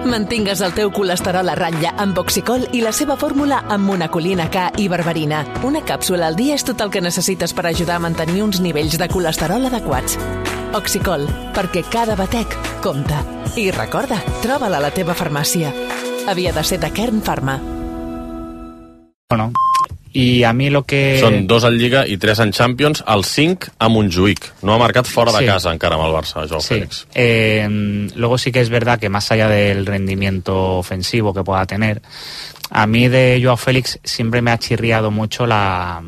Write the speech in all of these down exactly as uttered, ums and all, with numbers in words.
Mantingues el teu colesterol a ratlla amb Oxicol i la seva fórmula amb monacolina K i berberina. Una càpsula al dia és tot el que necessites per ajudar a mantenir uns nivells de colesterol adequats. Oxicol, perquè cada batec compta. I recorda, troba-la a la teva farmàcia. Havia de ser de Kern Pharma. Bueno, i a mi lo que... Són dos en Lliga i tres en Champions, el cinc a Montjuïc. No ha marcat fora de sí. casa encara amb el Barça, Joao sí. Félix. Eh, luego sí que es verdad que más allá del rendimiento ofensivo que pueda tener, a mí de Joao Félix siempre me ha chirriado mucho la,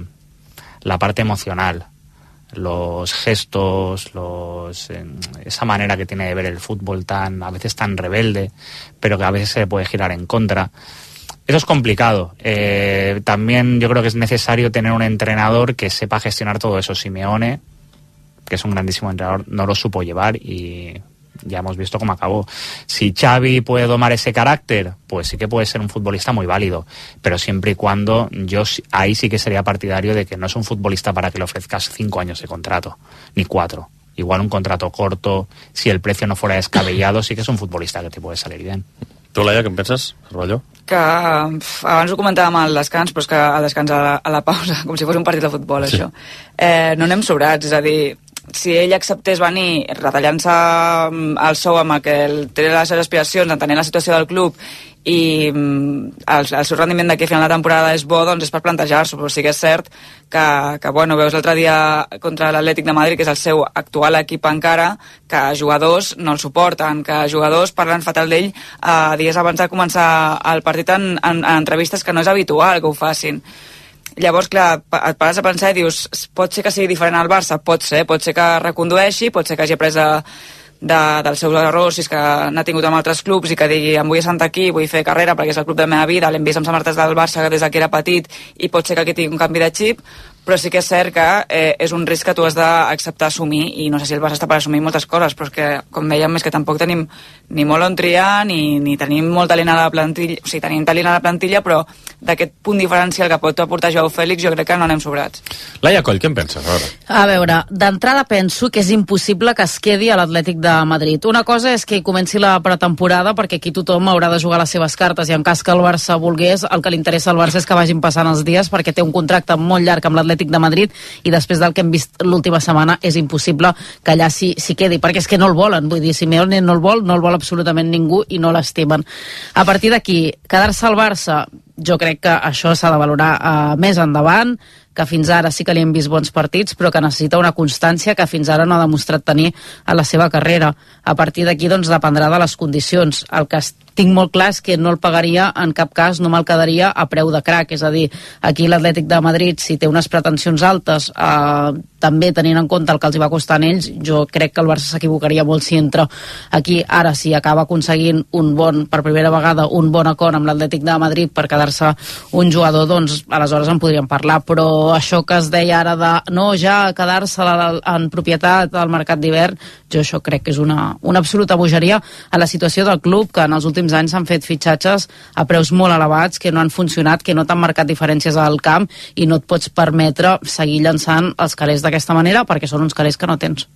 la parte emocional. Los gestos, los eh, esa manera que tiene de ver el fútbol tan, a veces tan rebelde, pero que a veces se puede girar en contra. Eso es complicado. Eh, también yo creo que es necesario tener un entrenador que sepa gestionar todo eso. Simeone, que es un grandísimo entrenador, no lo supo llevar y ya hemos visto cómo acabó. Si Xavi puede domar ese carácter, pues sí que puede ser un futbolista muy válido, pero siempre y cuando yo ahí sí que sería partidario de que no es un futbolista para que le ofrezcas cinco años de contrato, ni cuatro. Igual un contrato corto, si el precio no fuera descabellado, sí que es un futbolista que te puede salir bien. Tu, Laia, què en penses, Cervelló? Que pf, abans ho comentàvem al descans, però és que al descans a la, a la pausa, com si fos un partit de futbol, sí. Això. Eh, no anem sobrats, és a dir, si ell acceptés venir retallant-se el sou amb el que té les seves aspiracions, entenent la situació del club i el, el seu rendiment d'aquí a final de temporada és bo, doncs és per plantejar-s'ho, però sí que és cert que, que bueno, veus l'altre dia contra l'Atlètic de Madrid, que és el seu actual equip encara, que jugadors no el suporten, que jugadors parlen fatal d'ell eh, dies abans de començar el partit en, en, en entrevistes, que no és habitual que ho facin. Llavors, clar, et pares a pensar i dius, pot ser que sigui diferent al Barça? Pot ser, pot ser que recondueixi, pot ser que hagi après de, de, dels seus errors, si és que n'ha tingut amb altres clubs i que digui, em vull assentar aquí, vull fer carrera perquè és el club de la meva vida, l'hem vist amb samarretes del Barça des que era petit i pot ser que aquí tingui un canvi de xip, però sí que és cert que eh, és un risc que tu has d'acceptar assumir i no sé si el Barça està per assumir moltes coses, però és que, com dèiem, és que tampoc tenim ni molt on triar ni, ni tenim molt talent a la plantilla, o sigui, tenim talent a la plantilla, però d'aquest punt diferencial que pot aportar Joao Félix jo crec que no anem sobrats. Laia Coll, què en penses? A veure, a veure d'entrada penso que és impossible que es quedi a l'Atlètic de Madrid. Una cosa és que comenci la pretemporada, perquè aquí tothom haurà de jugar les seves cartes i en cas que el Barça volgués, el que li interessa al Barça és que vagin passant els dies perquè té un contracte molt llarg amb l'Atlètic de Madrid i després del que hem vist l'última setmana és impossible que allà s'hi si quedi, perquè és que no el volen, vull dir, Simeone no el vol, no el vol absolutament ningú i no l'estimen. A partir d'aquí, quedar-se al Barça, jo crec que això s'ha de valorar uh, més endavant, que fins ara sí que li hem vist bons partits, però que necessita una constància que fins ara no ha demostrat tenir a la seva carrera. A partir d'aquí, doncs, dependrà de les condicions. El que tinc molt clar és que no el pagaria en cap cas, no me'l quedaria a preu de crac, és a dir, aquí l'Atlètic de Madrid, si té unes pretensions altes, eh, també tenint en compte el que els hi va costar a ells, jo crec que el Barça s'equivocaria molt si entra aquí. Ara, si acaba aconseguint un bon, per primera vegada, un bon acord amb l'Atlètic de Madrid per quedar-se un jugador, doncs aleshores en podríem parlar, però això que es deia ara de no, ja quedar-se en propietat al mercat d'hivern, jo això crec que és una, una absoluta bogeria a la situació del club, que en els últims anys s'han fet fitxatges a preus molt elevats, que no han funcionat, que no t'han marcat diferències al camp i no et pots permetre seguir llançant els calés d'aquesta manera perquè són uns calés que no tens.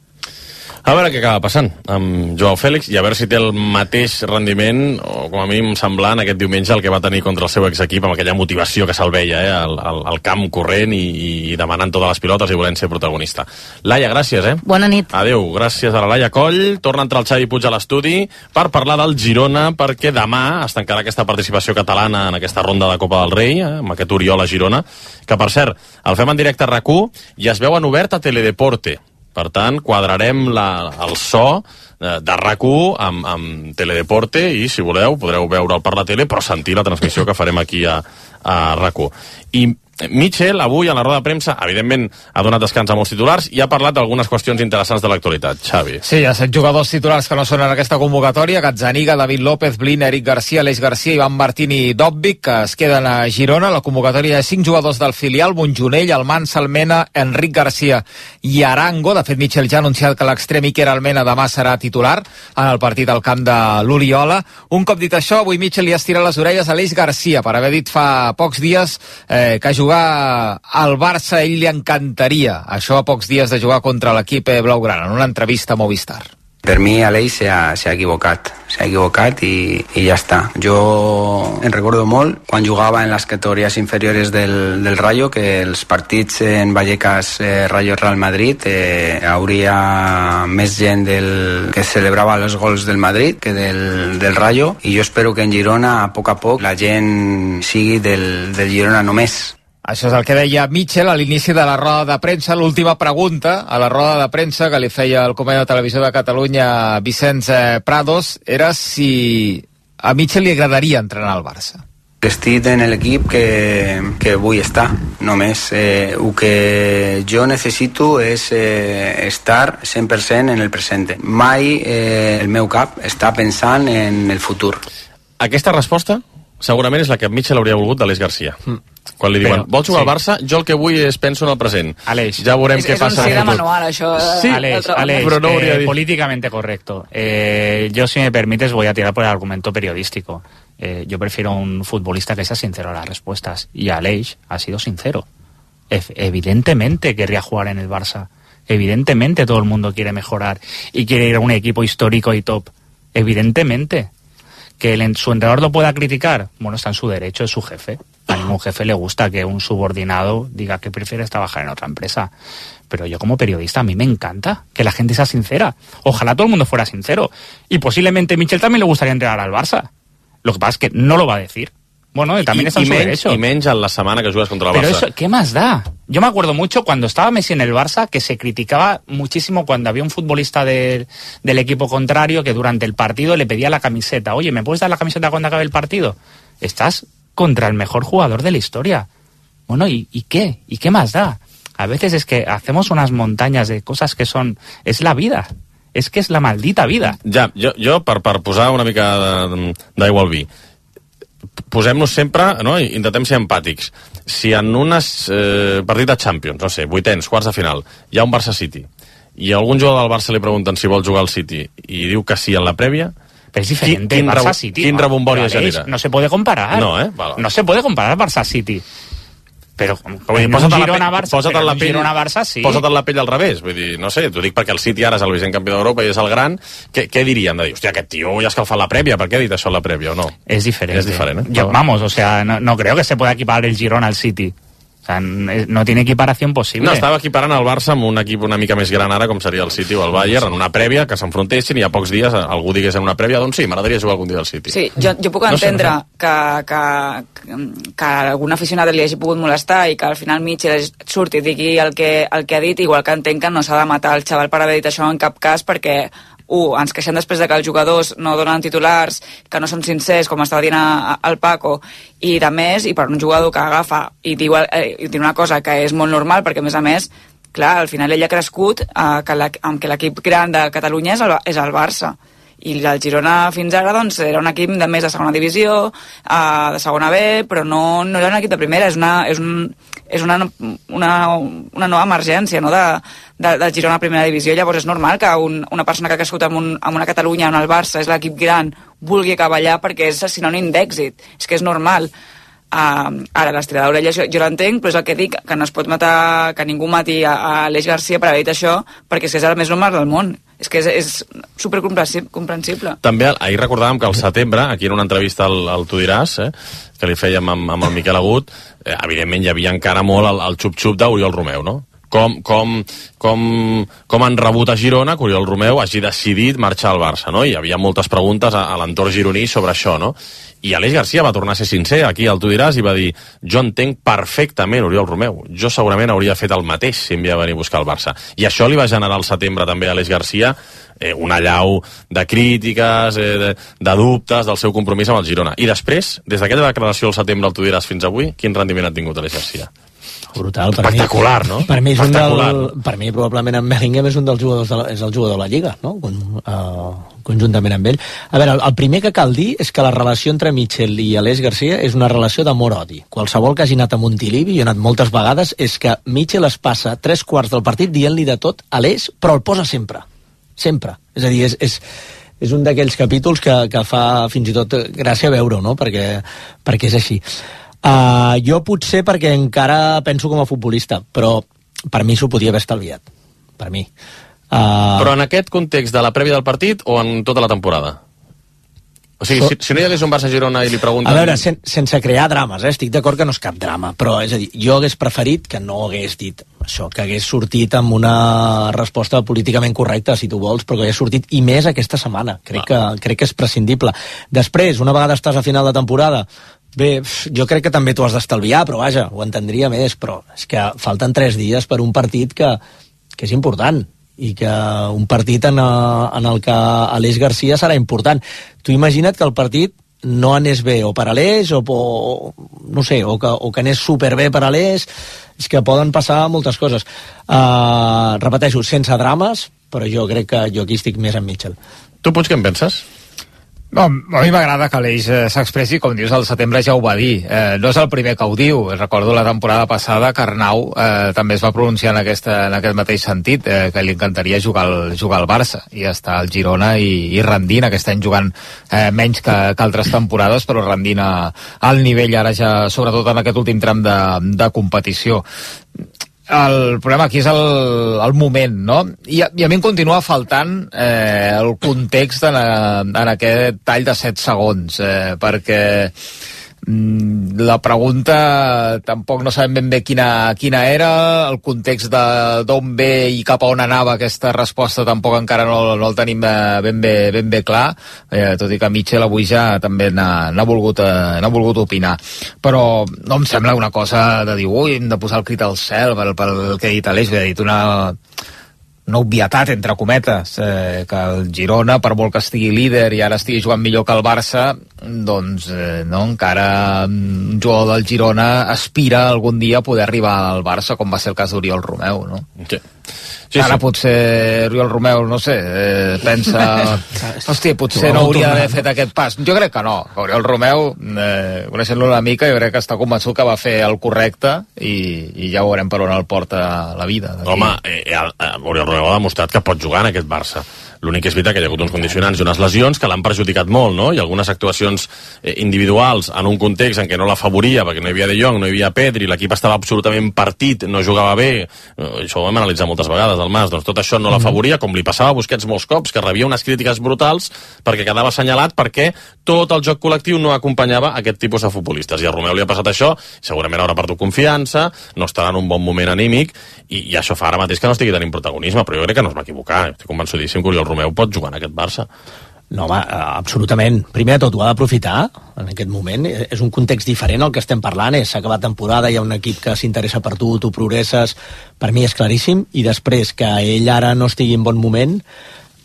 A veure què acaba passant amb Joao Félix i a veure si té el mateix rendiment, o com a mínim semblant, aquest diumenge el que va tenir contra el seu exequip, amb aquella motivació que se'l veia, eh, al, al, al camp corrent i, i demanant totes les pilotes i volent ser protagonista. Laia, gràcies, eh? Bona nit. Adéu, gràcies a la Laia Coll. Torna a entrar el Xavi Puig a l'estudi per parlar del Girona, perquè demà es tancarà aquesta participació catalana en aquesta ronda de Copa del Rei, eh, amb aquest Oriola-Girona, que per cert, el fem en directe a RAC u i es veu en obert a Teledeporte. Per tant, quadrarem la, el so de, de RAC u amb, amb Teledeporte i, si voleu, podreu veure'l per la tele, però sentir la transmissió que farem aquí a, a RAC u. I Mitchell, avui, a la roda de premsa, evidentment ha donat descans a molts titulars i ha parlat d'algunes qüestions interessants de l'actualitat. Xavi. Sí, hi ha set jugadors titulars que no són en aquesta convocatòria: Gazzaniga, David López, Blin, Eric Garcia, Aleix Garcia, Ivan Martín i Dòbvic, que es queden a Girona. La convocatòria de cinc jugadors del filial: Montjonell, Almansa, Almena, Enric Garcia i Arango. De fet, Mitchell ja ha anunciat que l'extrem Iker Almena demà serà titular en el partit al camp de l'Oriola. Un cop dit això, avui Mitchell li estira les orelles a Aleix Garcia per haver dit fa pocs dies eh, que jugar al Barça a ell li encantaria. Això a pocs dies de jugar contra l'equip blaugrana, en una entrevista a Movistar. Per mi Aleix s'ha, s'ha equivocat, s'ha equivocat i, i ja està. Jo en recordo molt quan jugava en les categories inferiores del, del Rayo, que els partits en Vallecas eh, Rayo Real Madrid eh, hauria més gent del, que celebrava els gols del Madrid que del, del Rayo, i jo espero que en Girona a poc a poc la gent sigui del, del Girona només. Això és el que deia Mitchell a l'inici de la roda de premsa. L'última pregunta a la roda de premsa que li feia el company de Televisió de Catalunya, Vicenç Prados, era si a Mitchell li agradaria entrenar al Barça. Estic en l'equip que, que vull estar, només. Eh, el que jo necessito és eh, estar cent per cent en el present. Mai eh, el meu cap està pensant en el futur. Aquesta resposta segurament és la que Mitchell hauria volgut d'Aleix Garcia. Mm. Quan li diuen, vols jugar sí. al Barça? Jo el que vull és penso en el present. Aleix. Ja veurem és, què és passa. És un sí de manual, això. Sí, Aleix, Aleix pero no eh, políticamente correcto. Eh, yo, si me permites, voy a tirar por el argumento periodístico. Eh, yo prefiero un futbolista que sea sincero a las respuestas. Y Aleix ha sido sincero. E- evidentemente querría jugar en el Barça. Evidentemente todo el mundo quiere mejorar y quiere ir a un equipo histórico y top. Evidentemente. Que el, su entrenador lo pueda criticar, bueno, está en su derecho, es su jefe. A ningún jefe le gusta que un subordinado diga que prefiere trabajar en otra empresa. Pero yo como periodista, a mí me encanta que la gente sea sincera. Ojalá todo el mundo fuera sincero. Y posiblemente Mitchell también le gustaría entrenar al Barça. Lo que pasa es que no lo va a decir. Bueno, él también I, está en i su menys, derecho. I menys en la setmana que jugues contra el Pero Barça. eso, ¿qué más da? Yo me acuerdo mucho cuando estaba Messi en el Barça que se criticaba muchísimo cuando había un futbolista de, del equipo contrario que durante el partido le pedía la camiseta. Oye, ¿me puedes dar la camiseta cuando acabe el partido? Estás contra el mejor jugador de la historia. Bueno, ¿y, y qué? ¿Y qué más da? A veces es que hacemos unas montañas de cosas que son... Es la vida. Es que es la maldita vida. Ja, jo, jo per, per posar una mica d'aigua al vi, posem-nos sempre, no? Intentem ser empàtics. Si en un eh, partit de Champions, no sé, vuitens, quarts de final, hi ha un Barça-City, i a algun jugador del Barça li pregunten si vol jugar al City i diu que sí en la prèvia, pero es diferente. Quin, quin, Barça City. quin rebombori es genera? No se puede comparar. No, eh? Vale. No se puede comparar Barça City. Però Vull dir, posa't en la pell, posa't en la pell, Girona-Barça, sí. Posa't en la pell al revés. Vull dir, no sé, t'ho dic perquè el City ara és el vigent campió d'Europa i és el gran. Què, què dirien? De dir, hòstia, aquest tio ja ha escalfat la prèvia. Per què ha dit això en la prèvia o no? Es diferente. Es diferente, ¿eh? Yo, vamos, o sea, no, no creo que se pueda equiparar el Girona al City. O sea, no tiene equiparación posible. No, estava equiparant el Barça amb un equip una mica més gran ara, com seria el City o el Bayern, en una prèvia, que s'enfrontessin i a pocs dies algú digués en una prèvia, doncs sí, m'agradaria jugar algun dia al City. Sí, jo, jo puc no entendre sé, no sé. que, que, que algun aficionat li hagi pogut molestar i que al final Mitchell surti i digui el que, el que ha dit, igual que entenc que no s'ha de matar el xaval per haver dit això en cap cas, perquè Uh, ens queixem després de que els jugadors no donen titulars, que no són sincers, com estava dient a, a, el Paco, i de més, i per un jugador que agafa i diu, eh, i diu una cosa que és molt normal, perquè a més a més, clar, al final ell ha crescut eh, que la, amb que l'equip gran de Catalunya és el, és el Barça. I el Girona fins ara doncs, era un equip de més de segona divisió, uh, de segona B, però no, no era un equip de primera, és una, és un, és una, una, una nova emergència, no?, de, de, de Girona a primera divisió. Llavors és normal que un, una persona que ha crescut en, un, en una Catalunya on el Barça és l'equip gran vulgui acabar allà perquè és sinònim d'èxit, és que és normal. Uh, ara, l'estirar d'orelles jo, jo l'entenc, però és el que dic, que no es pot matar, que ningú mati a, a Aleix Garcia per haver dit això, perquè és que és el més normal del món. És que és, és supercomprensible. També ahir recordàvem que al setembre, aquí en una entrevista al, al Tu diràs, eh, que li fèiem amb, amb el Miquel Agut, eh, evidentment hi havia encara molt el, el xup-xup d'Oriol Romeu, no? Com, com, com, com han rebut a Girona que Oriol Romeu hagi decidit marxar al Barça, no? Hi havia moltes preguntes a, a l'entorn gironí sobre això, no? I Aleix Garcia va tornar a ser sincer aquí al Tu diràs i va dir, jo entenc perfectament Oriol Romeu, jo segurament hauria fet el mateix si em havia venir a buscar el Barça. I això li va generar al setembre també a Aleix Garcia eh, una allau de crítiques, eh, de, de dubtes del seu compromís amb el Girona. I després, des d'aquella declaració al setembre al Tu diràs fins avui, quin rendiment ha tingut Aleix Garcia? Brutal. Per espectacular, mi, no? Per mi és un espectacular. del, per mi probablement en Bellingham és un dels jugadors de la, és el jugador de la Lliga, no? Con, uh, conjuntament amb ell. A veure, el, el primer que cal dir és que la relació entre Mitchell i Aleix Garcia és una relació d'amor-odi. Qualsevol que hagi anat a Montilivi, i he anat moltes vegades, és que Mitchell es passa tres quarts del partit dient-li de tot a Aleix, però el posa sempre. Sempre. És a dir, és, és, és un d'aquells capítols que, que fa fins i tot gràcia veure-ho, no? Perquè, perquè és així. Uh, jo potser perquè encara penso com a futbolista, però per mi s'ho podia haver estalviat. Per mi. Uh... Però en aquest context de la prèvia del partit o en tota la temporada? O sigui, si, si no hi hagués un Barça-Girona i li pregunten... A veure, sen, sense crear drames, eh? Estic d'acord que no és cap drama, però és a dir, jo hagués preferit que no hagués dit això, que hagués sortit amb una resposta políticament correcta, si tu vols, però que hagués sortit i més aquesta setmana. Crec, que, crec que és prescindible. Després, una vegada estàs a final de temporada, bé, jo crec que també t'ho has d'estalviar, però vaja, ho entendria més, però és que falten tres dies per un partit que, que és important, i que un partit en, en el que Aleix Garcia serà important. Tu imagina't que el partit no anés bé o per Aleix o, o no sé, o que, o que anés superbé per Aleix. És que poden passar moltes coses. Uh, repeteixo, sense drames, però jo crec que jo aquí estic més amb Mitchell. Tu, Puig, què en penses? No, a mi m'agrada que l'Eix eh, s'expressi, com dius, al setembre ja ho va dir. Eh, no és el primer que ho diu. Recordo la temporada passada que Arnau eh, també es va pronunciar en, aquesta, en aquest mateix sentit, eh, que li encantaria jugar al, jugar al Barça i estar al Girona i, i rendint, aquest any jugant eh, menys que, que altres temporades, però rendint a, al nivell ara ja, sobretot en aquest últim tram de, de competició. El problema aquí és el, el moment, no? I a, I a mi em continua faltant eh, el context en, en aquest tall de set segons, eh, perquè mm, la pregunta tampoc no sabem ben bé quina, quina era, el context d'on ve i cap a on anava aquesta resposta tampoc encara no, no el tenim ben bé, ben bé clar, eh, tot i que Mitchell avui ja també n'ha volgut, eh, volgut opinar. Però no em sembla una cosa de dir, ui, hem de posar el crit al cel pel, pel que ha dit Aleix, ha dit una... una obvietat, entre cometes, eh, que el Girona, per molt que estigui líder i ara estigui jugant millor que el Barça, doncs eh, no, encara un jugador del Girona aspira algun dia a poder arribar al Barça, com va ser el cas d'Oriol Romeu, no? Sí. Sí, ara sí. potser Oriol Romeu, no sé, eh, pensa... Hòstia, potser no hauria d'haver fet aquest pas. Jo crec que no. Oriol Romeu, eh, coneixent-lo una mica, jo crec que està convençut que va fer el correcte i, i ja veurem per on el porta la vida. Home, eh, eh, Oriol Romeu ha demostrat que pot jugar en aquest Barça. L'únic és veritat que hi ha hagut uns condicionants i unes lesions que l'han perjudicat molt, no? I algunes actuacions eh, individuals en un context en què no l'afavoria, perquè no hi havia De Jong, no hi havia Pedri, l'equip estava absolutament partit, no jugava bé, eh, això ho hem analitzat moltes vegades, el Mas, doncs tot això no l'afavoria, com li passava a Busquets molts cops, que rebia unes crítiques brutals perquè quedava assenyalat perquè tot el joc col·lectiu no acompanyava aquest tipus de futbolistes. I a Romeu li ha passat això, segurament haurà perdut confiança, no estarà en un bon moment anímic, i, i això fa ara mateix que no estigui tenint protagonisme, però jo crec que no es va equivocar, estic convençudíssim que Oriol Romeu pot jugar en aquest Barça. No, home, absolutament. Primer de tot, ho ha d'aprofitar en aquest moment. És un context diferent al que estem parlant. S'ha acabat temporada, hi ha un equip que s'interessa per tu, tu progresses. Per mi és claríssim. I després, que ell ara no estigui en bon moment,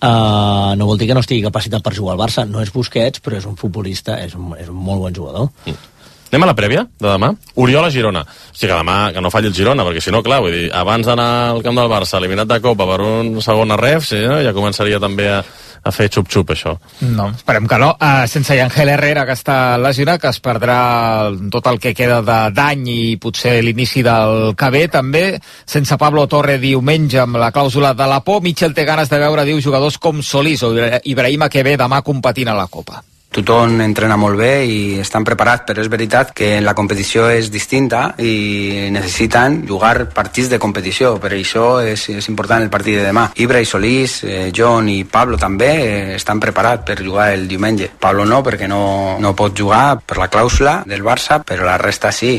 uh, no vol dir que no estigui capacitat per jugar al Barça. No és Busquets, però és un futbolista, és un, és un molt bon jugador. Mm. Anem a la prèvia de demà. Oriol a Girona. O sigui que demà que no falli el Girona, perquè si no, clar, vull dir, abans d'anar al camp del Barça, eliminat de Copa per un segon a ref, sí, no? Ja començaria també a, a fer xup-xup, això. No, esperem que no. Uh, sense Ángel Herrera, que està lesionat, que es perdrà tot el que queda d'any i potser l'inici del que ve, també. Sense Pablo Torre diumenge amb la clàusula de la por. Mitchell té ganes de veure, diu, jugadors com Solís o Ibrahima, que ve demà competint a la Copa. Tothom entrena molt bé i estan preparats, però és veritat que la competició és distinta i necessiten jugar partits de competició. Per això és, és important el partit de demà. Ibra i Solís, eh, John i Pablo també eh, estan preparats per jugar el diumenge. Pablo no, perquè no, no pot jugar per la clàusula del Barça, però la resta sí.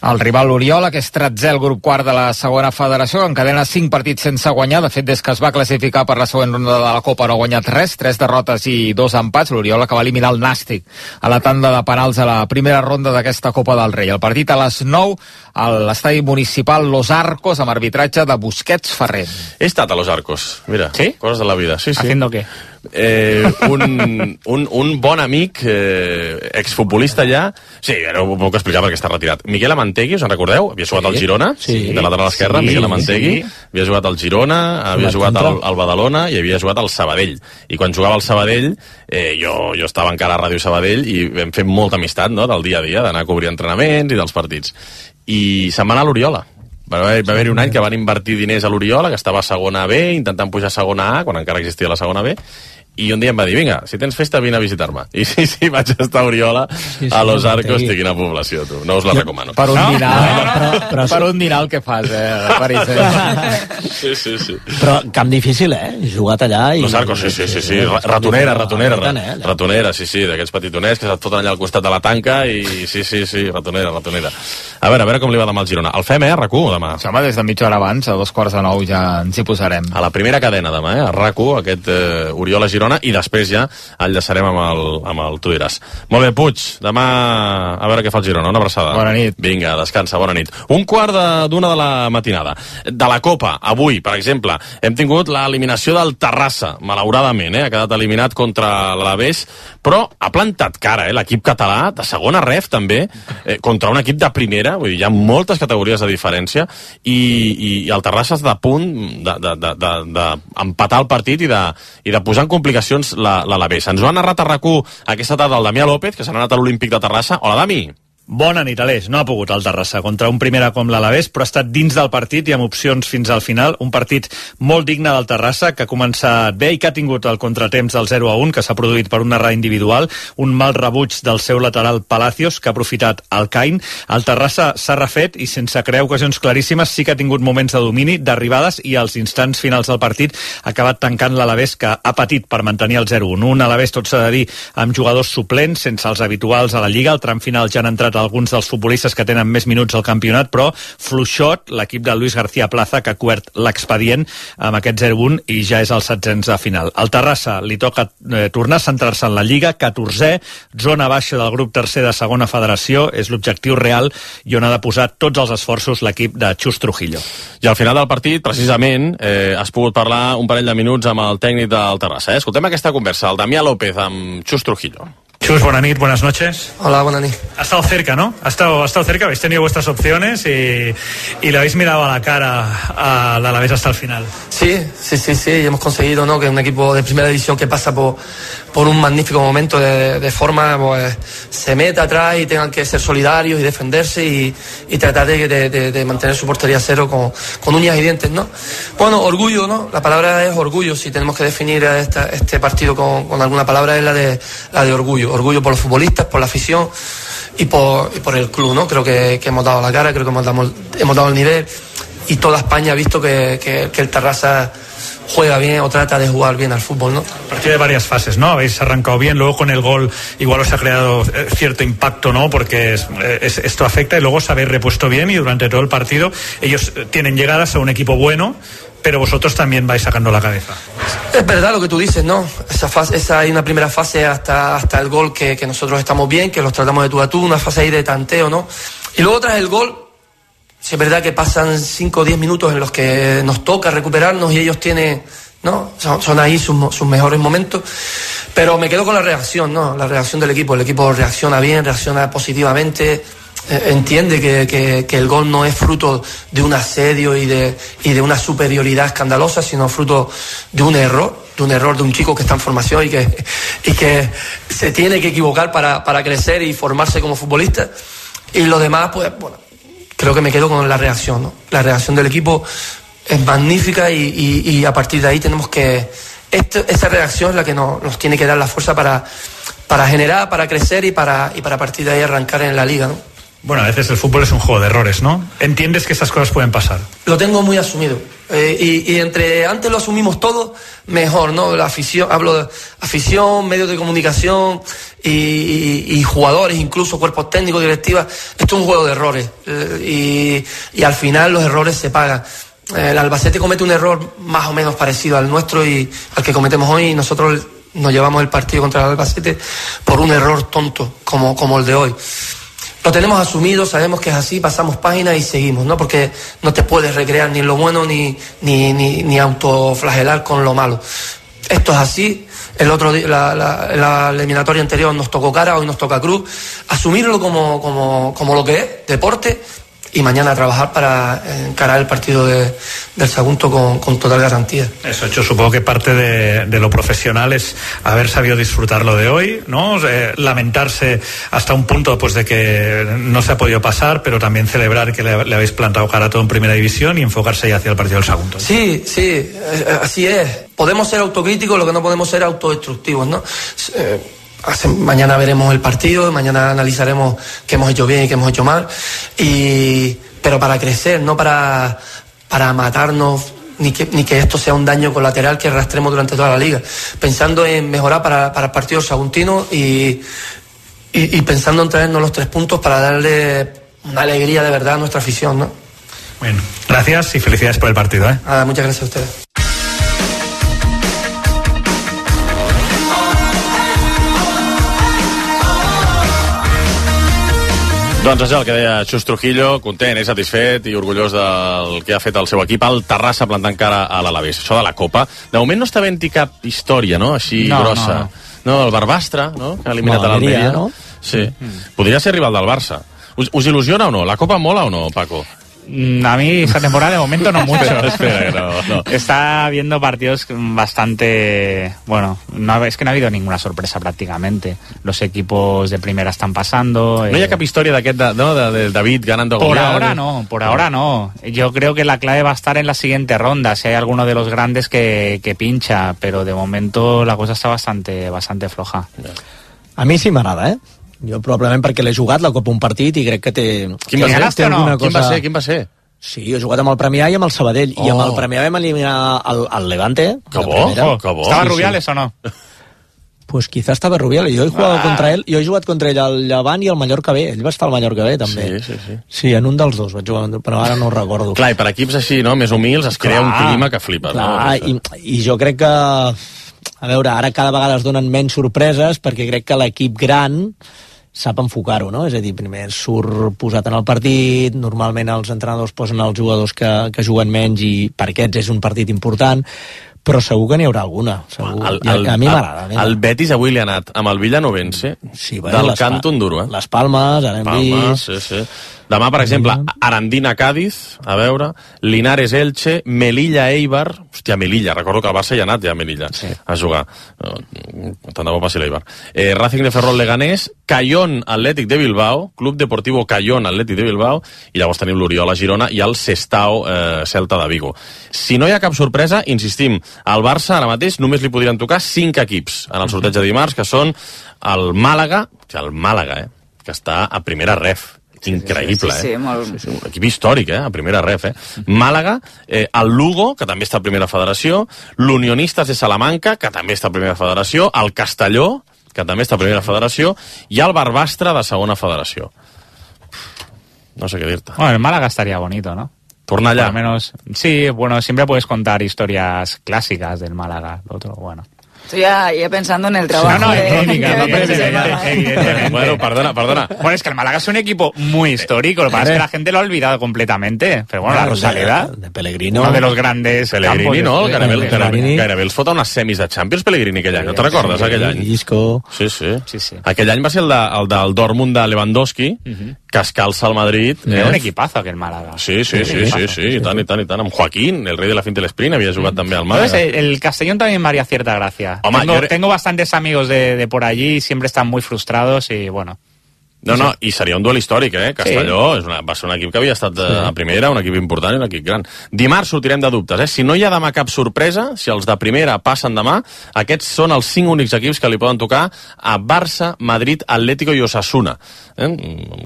El rival Oriola, que és tretzè al grup quart de la segona federació, encadena cinc partits sense guanyar. De fet, des que es va classificar per la següent ronda de la Copa no ha guanyat res, tres derrotes i dos empats. L'Oriola, que va eliminar el Nàstic a la tanda de penals a la primera ronda d'aquesta Copa del Rei. El partit a les nou a l'estadi municipal Los Arcos, amb arbitratge de Busquets Ferrer. He estat a Los Arcos, mira, ¿Sí? Coses de la vida. Sí, sí. ¿Haciendo qué? Eh, un, un, un bon amic, eh, exfutbolista ja, sí, ara ho puc explicar perquè està retirat. Miguel Amantegui, us en recordeu? Havia jugat sí. al Girona, sí. de lateral esquerra, sí, Miguel Amantegui, sí. havia jugat al Girona, havia jugat al, al Badalona i havia jugat al Sabadell. I quan jugava al Sabadell, eh, jo, jo estava encara a Ràdio Sabadell i vam fer molta amistat, no?, del dia a dia, d'anar a cobrir entrenaments i dels partits. I se'n va anar a l'Oriola. Va haver-hi haver un any que van invertir diners a l'Oriola, que estava a segona B, intentant pujar a segona A, quan encara existia la segona B, i un dia em va dir, vinga, si tens festa vine a visitar-me. I sí, sí, vaig estar a Oriola, sí, sí, a Los Arcos, sí. Quina població, tu. No us la jo, recomano. Per un no? dinar, no, no, però, però, per un dinar el que fas, eh, París. Eh? Sí, sí, sí. Però camp difícil, eh? Jugat allà i... Los Arcos, sí, sí, sí, sí. Ratonera, ratonera, ratonera, sí, sí, d'aquests petitoners que se't foten allà al costat de la tanca i sí, sí, sí, ratonera, ratonera. A veure, a veure com li va demà al Girona. El fem, eh, a RAC u, demà. Sí, home, des de mitja hora abans, a dos quarts de nou ja ens hi posarem. A la primera cadena demà, eh, a RAC u, aquest eh, Oriola-Girona, i després ja enllaçarem amb el, amb el Tu diràs. Molt bé, Puig, demà a veure què fa el Girona, una abraçada. Bona nit. Vinga, descansa, bona nit. Un quart d'una de, de la matinada. De la Copa, avui, per exemple, hem tingut l'eliminació del Terrassa, malauradament, eh, ha quedat eliminat contra l'Alavés, però ha plantat cara, eh, l'equip català, de segona ref també, eh, contra un equip de primera, vull dir, hi ha moltes categories de diferència, i, i, i el Terrassa està a punt d'empatar el partit i de, i de posar en complicacions l'Alavés. Ens ho ha narrat a RAC u aquesta tarda el Damià López, que s'ha anat a l'Olímpic de Terrassa. Hola, Dami. Bona nit, Aleix. No ha pogut el Terrassa contra un primera com l'Alavés, però ha estat dins del partit i amb opcions fins al final. Un partit molt digne del Terrassa, que ha començat bé i que ha tingut el contratemps del zero a un, que s'ha produït per una errada individual, un mal rebuig del seu lateral Palacios, que ha aprofitat el Cain. El Terrassa s'ha refet i sense crear ocasions claríssimes sí que ha tingut moments de domini, d'arribades, i als instants finals del partit ha acabat tancant l'Alavés, que ha patit per mantenir el zero a un. Un Alavés, tot s'ha de dir, amb jugadors suplents, sense els habituals a la Lliga. Al tram final ja han entrat alguns dels futbolistes que tenen més minuts al campionat, però fluixot l'equip de Luis García Plaza, que ha cobert l'expedient amb aquest zero a un i ja és el setzents de final. Al Terrassa li toca eh, tornar a centrar-se en la Lliga, catorzè, zona baixa del grup tercer de segona federació, és l'objectiu real i on ha de posar tots els esforços l'equip de Xus Trujillo. I al final del partit, precisament, eh, has pogut parlar un parell de minuts amb el tècnic del Terrassa. Eh? Escoltem aquesta conversa, el Damià López amb Xus Trujillo. Chus, buena nit, buenas noches. Hola, buena nit. Ha estado cerca, ¿no? Ha estado, ha estado cerca, habéis tenido vuestras opciones y, y le habéis mirado a la cara a la Alavés hasta el final. Sí, sí, sí, sí, y hemos conseguido, ¿no?, que un equipo de primera división que pasa por, por un magnífico momento de, de forma, pues se meta atrás y tengan que ser solidarios y defenderse y, y tratar de, de, de, de mantener su portería a cero con, con uñas y dientes, ¿no? Bueno, orgullo, ¿no? La palabra es orgullo. Si tenemos que definir esta, este partido con, con alguna palabra, es la de, la de orgullo. Orgullo por los futbolistas, por la afición y por, y por el club, ¿no? Creo que, que hemos dado la cara, creo que hemos dado, hemos dado el nivel y toda España ha visto que, que, que el Terrassa juega bien o trata de jugar bien al fútbol, ¿no? Partido de varias fases, ¿no? Habéis arrancado bien, luego con el gol igual os ha creado cierto impacto, ¿no? Porque es, es, esto afecta, y luego os habéis repuesto bien y durante todo el partido ellos tienen llegadas a un equipo bueno, pero vosotros también vais sacando la cabeza. Es verdad lo que tú dices, ¿no? Esa fase, esa hay una primera fase hasta, hasta el gol que, que nosotros estamos bien, que los tratamos de tú a tú, una fase ahí de tanteo, ¿no? Y luego tras el gol, sí es verdad que pasan cinco o diez minutos en los que nos toca recuperarnos y ellos tienen, ¿no? Son, son ahí sus, sus mejores momentos. Pero me quedo con la reacción, ¿no? La reacción del equipo. El equipo reacciona bien, reacciona positivamente. Entiende que, que, que el gol no es fruto de un asedio y de, y de una superioridad escandalosa, sino fruto de un error, de un error de un chico que está en formación y que, y que se tiene que equivocar para, para crecer y formarse como futbolista. Y lo demás, pues, bueno, creo que me quedo con la reacción, ¿no? La reacción del equipo es magnífica y, y, y a partir de ahí tenemos que... Esto, esa reacción es la que nos, nos tiene que dar la fuerza para, para generar, para crecer y para, y para a partir de ahí arrancar en la liga, ¿no? Bueno, a veces el fútbol es un juego de errores, ¿no? ¿Entiendes que estas cosas pueden pasar? Lo tengo muy asumido. Eh, y, y entre antes lo asumimos todo, mejor, ¿no? La afición, hablo de afición, medios de comunicación y, y, y jugadores, incluso cuerpos técnicos, directivas. Esto es un juego de errores. Eh, y, y al final los errores se pagan. Eh, el Albacete comete un error más o menos parecido al nuestro y al que cometemos hoy, y nosotros nos llevamos el partido contra el Albacete por un error tonto como, como el de hoy. Lo tenemos asumido, sabemos que es así, pasamos páginas y seguimos, ¿no? Porque no te puedes recrear ni en lo bueno ni, ni, ni, ni autoflagelar con lo malo. Esto es así. El otro día, la, la, la eliminatoria anterior nos tocó cara, hoy nos toca cruz. Asumirlo como, como, como lo que es, deporte, y mañana a trabajar para encarar el partido de, del Sagunto con, con total garantía. Eso, yo supongo que parte de, de lo profesional es haber sabido disfrutar lo de hoy, ¿no? Eh, lamentarse hasta un punto pues de que no se ha podido pasar, pero también celebrar que le, le habéis plantado cara a todo en primera división y enfocarse ya hacia el partido del Sagunto. Sí, sí, así es. Podemos ser autocríticos, lo que no podemos ser autodestructivos, ¿no? Eh, Mañana veremos el partido, mañana analizaremos qué hemos hecho bien y qué hemos hecho mal, y, pero para crecer, no para, para matarnos, ni que, ni que esto sea un daño colateral que arrastremos durante toda la liga. Pensando en mejorar para, para el partido saguntino y, y, y pensando en traernos los tres puntos para darle una alegría de verdad a nuestra afición, ¿no? Bueno, gracias y felicidades por el partido, ¿eh? Ah, muchas gracias a ustedes. Doncs això, el que deia Xus Trujillo, content, és satisfet i orgullós del que ha fet el seu equip al Terrassa plantant cara a l'Alavés. Això de la Copa, de moment no està havent-hi cap història, no?, així no, grossa. No, no. no, el Barbastre, no?, que ha eliminat no, a l'Almeria. No? Sí. Mm. Podria ser rival del Barça. Us, us il·lusiona o no? La Copa mola o no, Paco? A mí esta temporada de momento no mucho. Espera, no, no. Está habiendo partidos bastante... Bueno, no, es que no ha habido ninguna sorpresa prácticamente. Los equipos de primera están pasando. No eh... hi ha cap història d'aquest, de, no, de, de David ganando Por Goliat. ahora no, por ahora no. Yo creo que la clave va a estar en la siguiente ronda, si hay alguno de los grandes que, que pincha, pero de momento la cosa está bastante, bastante floja. A mi sí m'agrada, eh? Jo probablement perquè l'he jugat la Copa un partit i crec que té... Quin va, ser? Té no? Cosa... Quin va ser? Quin va ser? Sí, he jugat amb el Premià i amb el Sabadell. Oh. I amb el Premià vam eliminar el, el Levante. Que bo, oh, que bo. ¿Estaba sí, Rubiales sí. o no? Pues quizá estava Rubiales. Jo he jugat ah. contra ell, jo he jugat contra ell al Llevant i al Mallorca B. Ell va estar al Mallorca B, també. Sí, sí, sí. Sí, en un dels dos vaig jugar, però ara no ho recordo. Clar, i per equips així, no?, més humils, es crea clar, un clima que flipa. Clar, no? i, i jo crec que... A veure, ara cada vegada es donen menys sorpreses perquè crec que l'equip gran sap enfocar-ho, no? És a dir, primer surt posat en el partit, normalment els entrenadors posen els jugadors que, que juguen menys i per aquests és un partit important, però segur que n'hi haurà alguna. Segur. El, el, a mi m'agrada. El, el Betis avui li ha anat amb el Villanovense sí, bueno, del Canto Enduro, eh? Les Palmes, ara hem Palmes, vist... sí, sí. Demà, per exemple, Arandina-Cádiz, a veure, Linares-Elche, Melilla-Eibar... Hòstia, Melilla, recordo que el Barça hi ha anat ja a Melilla sí. a jugar. Tant de bo passi l'Eibar. Eh, Racing de Ferrol-Leganés, Cayón-Atlètic de Bilbao, Club Deportivo Cayón-Atlètic de Bilbao, i llavors tenim l'Oriola-Girona i el Sestao-Celta eh, de Vigo. Si no hi ha cap sorpresa, insistim, al Barça ara mateix només li podrien tocar cinc equips en el sorteig de dimarts, que són el Màlaga, el Màlaga, eh, que està a primera ref. Increïble, sí, sí, sí, eh? molt... Sí, sí, un equip històric, eh? A primera ref, eh? Màlaga, eh, el Lugo, que també està a primera federació, l'Unionistes de Salamanca, que també està a primera federació, el Castelló, que també està a primera federació, i el Barbastre de segona federació. No sé què dir-te. Bueno, el Málaga estaría bonito, ¿no? Torna allá. Por lo menos, sí, bueno, siempre puedes contar historias clásicas del Málaga, lo otro, bueno. Estoy ya, ya pensando en el trabajo. No, no, de, crónica, no, evidentemente. Bueno, perdona, perdona. Bueno, es que el Málaga es un equipo muy histórico, lo que pasa es que la gente lo ha olvidado completamente. Pero bueno, la Rosaleda, de, de Pellegrino, uno de los grandes Pellegrini, campos, no? Gairebé, Pellegrini. gairebé els fot a unes semis de Champions, Pellegrini, aquell any. No te'n recordes, aquell any? Isco. Sí, sí. sí, sí. Aquell any va ser el, de, el del Dortmund de Lewandowski, uh -huh. que es calça al Madrid. Era eh? un equipazo aquell Málaga. Sí, sí, sí, sí, sí, sí, i tant, i tant, i tant. Amb Joaquín, el rei de la finta del sprint, havia jugat mm. també al Málaga. Entonces, el, el Castellón también me haría cierta gracia. Home, tengo, jo... tengo bastantes amigos de, de por allí y siempre están muy frustrados y bueno... No, no, i seria un duel històric, eh? Castelló sí. és una, va ser un equip que havia estat sí. a primera, un equip important i un equip gran. Dimarts sortirem de dubtes, eh? Si no hi ha demà cap sorpresa, si els de primera passen demà, aquests són els cinc únics equips que li poden tocar a Barça, Madrid, Atlético i Osasuna. Eh?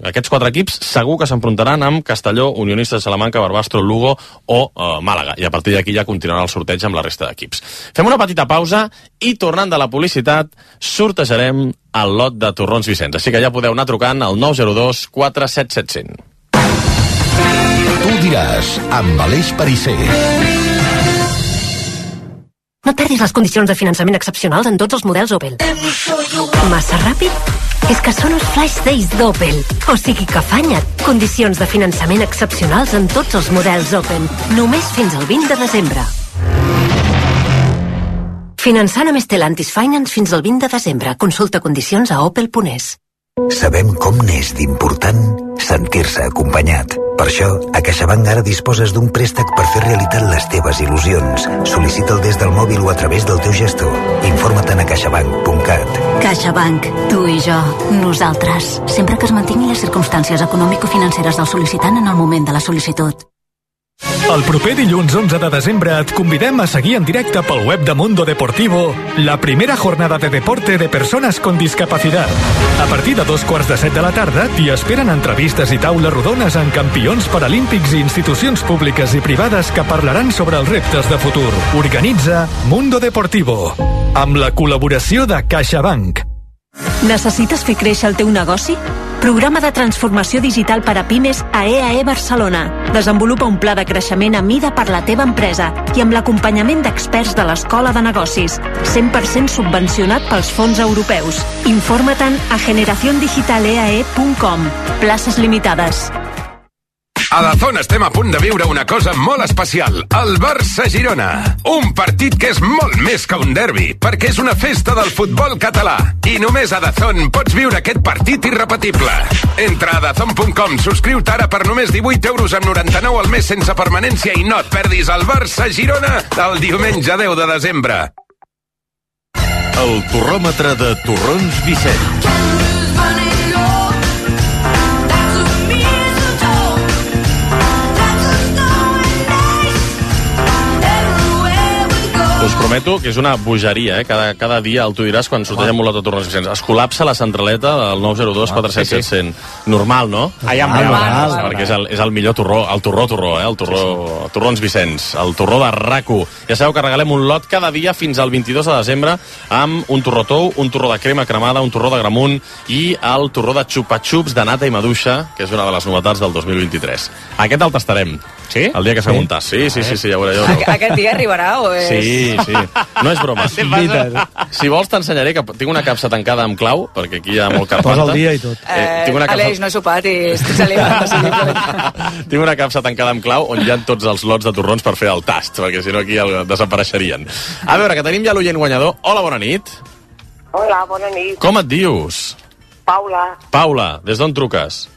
Aquests quatre equips segur que s'enfrontaran amb Castelló, Unionistes de Salamanca, Barbastro, Lugo o uh, Màlaga. I a partir d'aquí ja continuarà el sorteig amb la resta d'equips. Fem una petita pausa i tornant de la publicitat sortejarem el lot de torrons Vicenç. Així que ja podeu anar trucant al nou zero dos quatre set set zero zero. Tu diràs, amb Aleix Pariser. No perdis les condicions de finançament excepcionals en tots els models Opel. Massa ràpid? És que són els Flash Days d'Opel. O sigui que afanya't. Condicions de finançament excepcionals en tots els models Opel. Només fins al vint de desembre. Finançant amb Stellantis Finance fins al vint de desembre. Consulta condicions a opel punt es. Sabem com n'és d'important sentir-se acompanyat. Per això, a CaixaBank ara disposes d'un préstec per fer realitat les teves il·lusions. Sol·licita'l des del mòbil o a través del teu gestor. Informa't a caixabank punt cat. CaixaBank, tu i jo, nosaltres. Sempre que es mantinguin les circumstàncies econòmico-financeres del sol·licitant en el moment de la sol·licitud. El proper dilluns onze de desembre et convidem a seguir en directe pel web de Mundo Deportivo la primera jornada de deporte de persones con discapacidad. A partir de dos quarts de set de la tarda t'hi esperen entrevistes i taules rodones amb campions paralímpics i institucions públiques i privades que parlaran sobre els reptes de futur. Organitza Mundo Deportivo, amb la col·laboració de CaixaBank. Necessites fer créixer el teu negoci? Programa de transformació digital per a pimes a E A E Barcelona. Desenvolupa un pla de creixement a mida per la teva empresa i amb l'acompanyament d'experts de l'Escola de Negocis. cent per cent subvencionat pels fons europeus. Informa-te'n a generación digital e a e punt com. Places limitades. A Dazón estem a punt de viure una cosa molt especial, el Barça-Girona. Un partit que és molt més que un derbi, perquè és una festa del futbol català. I només a Dazón pots viure aquest partit irrepetible. Entra a dazón punt com, subscriu-te ara per només divuit euros amb noranta-nou al mes sense permanència i no et perdis el Barça-Girona el diumenge deu de desembre. El torròmetre de Torrons Vicent. Us prometo que és una bogeria, eh? Cada, cada dia, el tu diràs, quan sortegem un lot de Torrons Vicents. Es col·lapsa la centraleta del nou zero dos quatre set set cent. Normal, no? Allà amb normal. Perquè és el, és el millor torró, el torró-torró, eh? El torró, sí, sí. Torrons Vicents, el torró de R A C u. Ja sabeu que regalem un lot cada dia fins al vint-i-dos de desembre amb un torró tou, un torró de crema cremada, un torró de gramunt i el torró de xupa-xups de nata i maduixa, que és una de les novetats del dos mil vint-i-tres. Aquest el tastarem. Sí? El dia que fem un tast. Sí, sí, sí, sí, ja ho veureu. Aquest dia arribarà o és... Sí, sí. No és broma. Si vols t'ensenyaré que tinc una capsa tancada amb clau, perquè aquí hi ha molt carpanta. Posa el dia i tot. Eh, eh, tinc una capsa... Aleix, no he sopat i estic salivant. Tinc una capsa tancada amb clau on hi ha tots els lots de torrons per fer el tast, perquè si no aquí desapareixerien. A veure, que tenim ja l'oient guanyador. Hola, bona nit. Hola, bona nit. Com et dius? Paula. Paula, des d'on truques?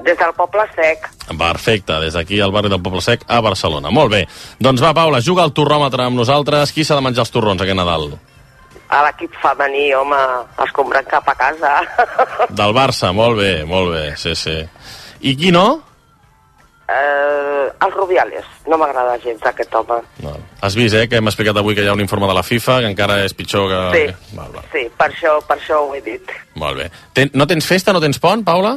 Des del Poble Sec. Perfecte, des d'aquí al barri del Poble Sec a Barcelona. Molt bé. Doncs va, Paula, juga al torròmetre amb nosaltres. Qui s'ha de menjar els torrons aquest Nadal? A l'equip femení, home, els compren cap a casa. Del Barça, molt bé, molt bé, sí, sí. I qui no? Eh, els Rubiales. No m'agrada gens aquest home. No. Has vist, eh, que hem explicat avui que hi ha un informe de la FIFA, que encara és pitjor que... Sí, val, val. Sí, per això, per això ho he dit. Molt bé. Ten, no tens festa, no tens pont, Paula?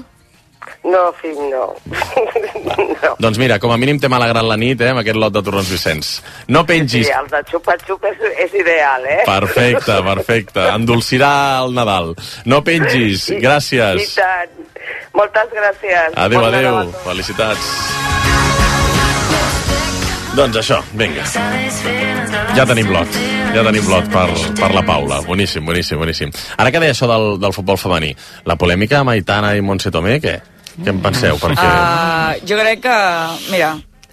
No, fill, no. no. Doncs mira, com a mínim t'hem alegrat la nit, eh, amb aquest lot de Torrons Vicents. No pengis... Sí, el de xupa-xup és, és ideal, eh? Perfecte, perfecte. Endolcirà el Nadal. No pengis. Gràcies. I tant. Moltes gràcies. Adéu, bon adéu. Nadal. Felicitats. Doncs això, vinga. Ja tenim lot. Ja tenim lot per, per la Paula. Boníssim, boníssim, boníssim. Ara que deia això del, del futbol femení, la polèmica amb Aitana i Montse Tomé, què? Què en penseu? Perquè... Uh, jo crec que, mira,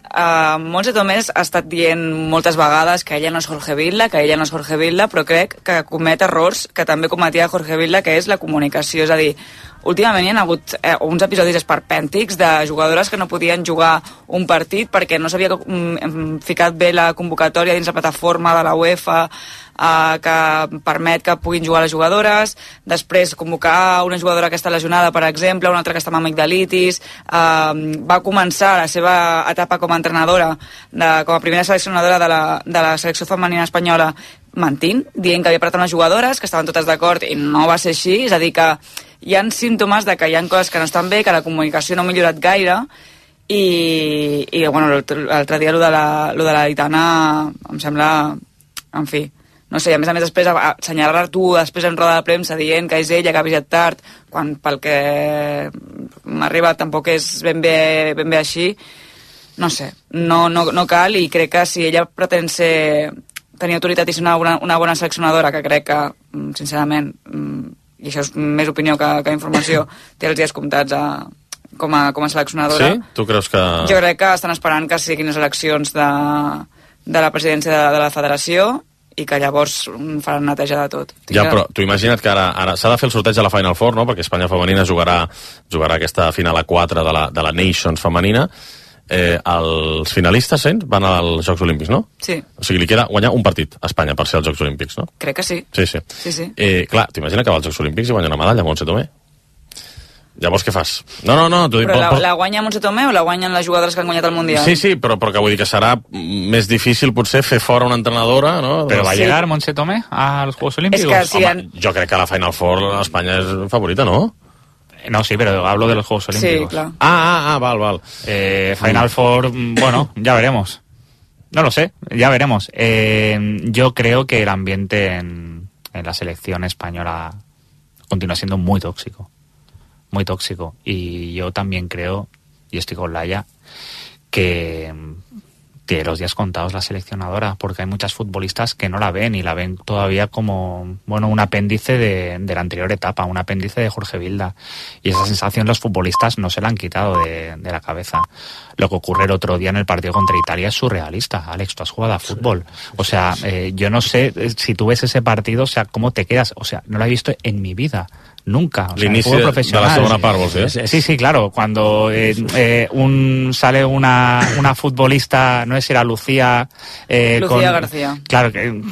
uh, Montse Tomé ha estat dient moltes vegades que ella no és Jorge Vilda, que ella no és Jorge Vilda, però crec que comet errors que també cometia Jorge Vilda, que és la comunicació. És a dir, últimament hi ha hagut eh, uns episodis esperpèntics de jugadores que no podien jugar un partit perquè no s'havia mm, ficat bé la convocatòria dins la plataforma de la UEFA eh, que permet que puguin jugar les jugadores, després convocar una jugadora que està lesionada, per exemple, una altra que està amb amigdalitis, eh, va començar la seva etapa com a entrenadora, de, com a primera seleccionadora de la, de la selecció femenina espanyola, mentint, dient que havia parlat amb les jugadores, que estaven totes d'acord i no va ser així, és a dir que hi ha símptomes de que hi ha coses que no estan bé, que la comunicació no ha millorat gaire i, i bueno, l'altre dia lo de la, lo de la Aitana em sembla, en fi, no sé, a més a més després assenyalar tu després en roda de premsa dient que és ella que ha avisat tard, quan pel que m'arriba tampoc és ben bé, ben bé així, no sé, no, no, no cal, i crec que si ella pretén ser tenir autoritat i ser una bona, una bona seleccionadora, que crec que, sincerament, i això és més opinió que, que informació, té els dies comptats a, com, a, com a seleccionadora. Sí? Tu creus que... Jo crec que estan esperant que siguin les eleccions de, de la presidència de, de la federació i que llavors faran neteja de tot. Tinc Ja, que... però tu imagina't que ara, ara s'ha de fer el sorteig de la Final Four, no? Perquè Espanya femenina jugarà, jugarà aquesta final a quatre de la, de la Nations femenina. Eh, els finalistes cents van als Jocs Olímpics, no? Sí. O sigui, li queda guanyar un partit a Espanya per ser als Jocs Olímpics, no? Crec que sí. Sí, sí. Sí, sí. Eh, clar, t'imagina que va als Jocs Olímpics i guanya una medalla, Montse Tomé? Llavors què fas? No, no, no. Però la, la guanya Montse Tomé o la guanyen les jugadores que han guanyat el Mundial? Sí, sí, però, però que vull dir que serà més difícil potser fer fora una entrenadora, no? Però va sí. llegar Montse Tomé als Juegos Olímpicos? És que si Home, han... jo crec que la Final Four Espanya és favorita, no? No, sí, pero hablo de los Juegos Olímpicos. Sí, claro. Ah, ah, ah, val, val. Eh, Final Four, bueno, ya veremos. No lo sé, ya veremos. Eh, yo creo que el ambiente en, en la selección española continúa siendo muy tóxico. Muy tóxico. Y yo también creo, y estoy con Laia, que tiene los días contados la seleccionadora, porque hay muchas futbolistas que no la ven y la ven todavía como, bueno, un apéndice de, de la anterior etapa, un apéndice de Jorge Vilda. Y esa sensación los futbolistas no se la han quitado de, de la cabeza. Lo que ocurre el otro día en el partido contra Italia es surrealista. Alex, tú has jugado a fútbol. O sea, eh, yo no sé si tú ves ese partido, o sea, cómo te quedas. O sea, no lo he visto en mi vida. Nunca. O sea, L'inici de, de la segona part, vols dir? Sí, sí, claro. Cuando eh, eh, un sale una, una futbolista, no sé si era Lucía... Eh, Lucía con, García. Claro, que,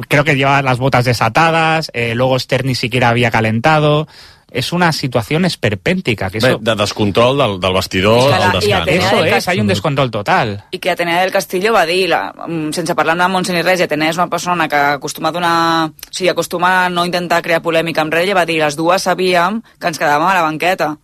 creo que lleva las botas desatadas, eh, luego Esther ni siquiera había calentado... Es una situación esperpèntica. Que Bé, eso... de descontrol del, del vestidor al descans. Eso es, hay un descontrol total. I que Atenea del Castillo va dir, la, sense parlar amb Montse ni res, i Atenea és una persona que acostuma a donar... O sigui, acostuma a no intentar crear polèmica amb res, i va dir, les dues sabíem que ens quedàvem a la banqueta.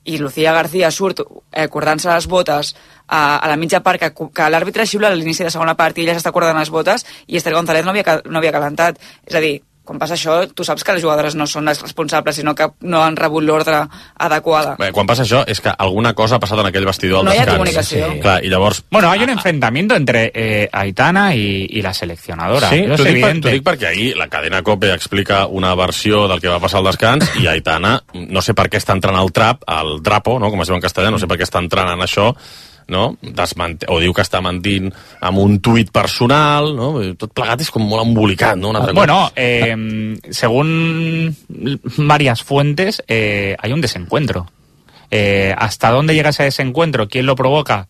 I Lucía García surt eh, cordant-se les botes a, a la mitja part, que, que l'àrbitre xiula a l'inici de segona part i ella s'està cordant les botes, i Esther González no havia, no havia calentat. És a dir, quan passa això, tu saps que les jugadores no són les responsables, sinó que no han rebut l'ordre adequada. Bé, quan passa això és que alguna cosa ha passat en aquell vestidor al no descans. No hi ha comunicació. Sí. Clar, i llavors... Bueno, hay un enfrentamiento entre eh, Aitana y, y la seleccionadora. Sí, Eso t'ho es dic, evidente. per, dic perquè ahir la cadena COPE explica una versió del que va passar al descans i Aitana, no sé per què està entrant al trap, al drapo, no? Com es diu en castellà, no sé per què està entrant en això, no? Desment... o diu que està mentint amb un tuit personal, no? Tot plegat és com molt embolicat, no? Bueno, eh, según varias fuentes, eh, hay un desencuentro. Eh, ¿Hasta dónde llega ese desencuentro? ¿Quién lo provoca?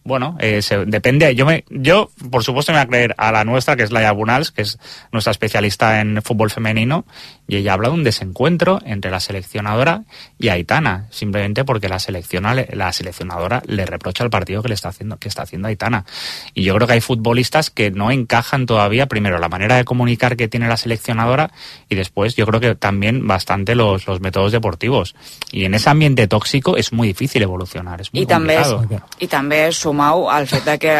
Bueno, eh, se, depende. Yo, me, yo, por supuesto, me voy a creer a la nuestra, que es Laia Bunals, que es nuestra especialista en fútbol femenino, y ella habla de un desencuentro entre la seleccionadora y Aitana, simplemente porque la, selecciona, la seleccionadora le reprocha el partido que le está haciendo, que está haciendo Aitana. Y yo creo que hay futbolistas que no encajan todavía, primero, la manera de comunicar que tiene la seleccionadora, y después, yo creo que también bastante los, los métodos deportivos. Y en ese ambiente tóxico es muy difícil evolucionar, es muy I també, complicado. I també sumau al fet de que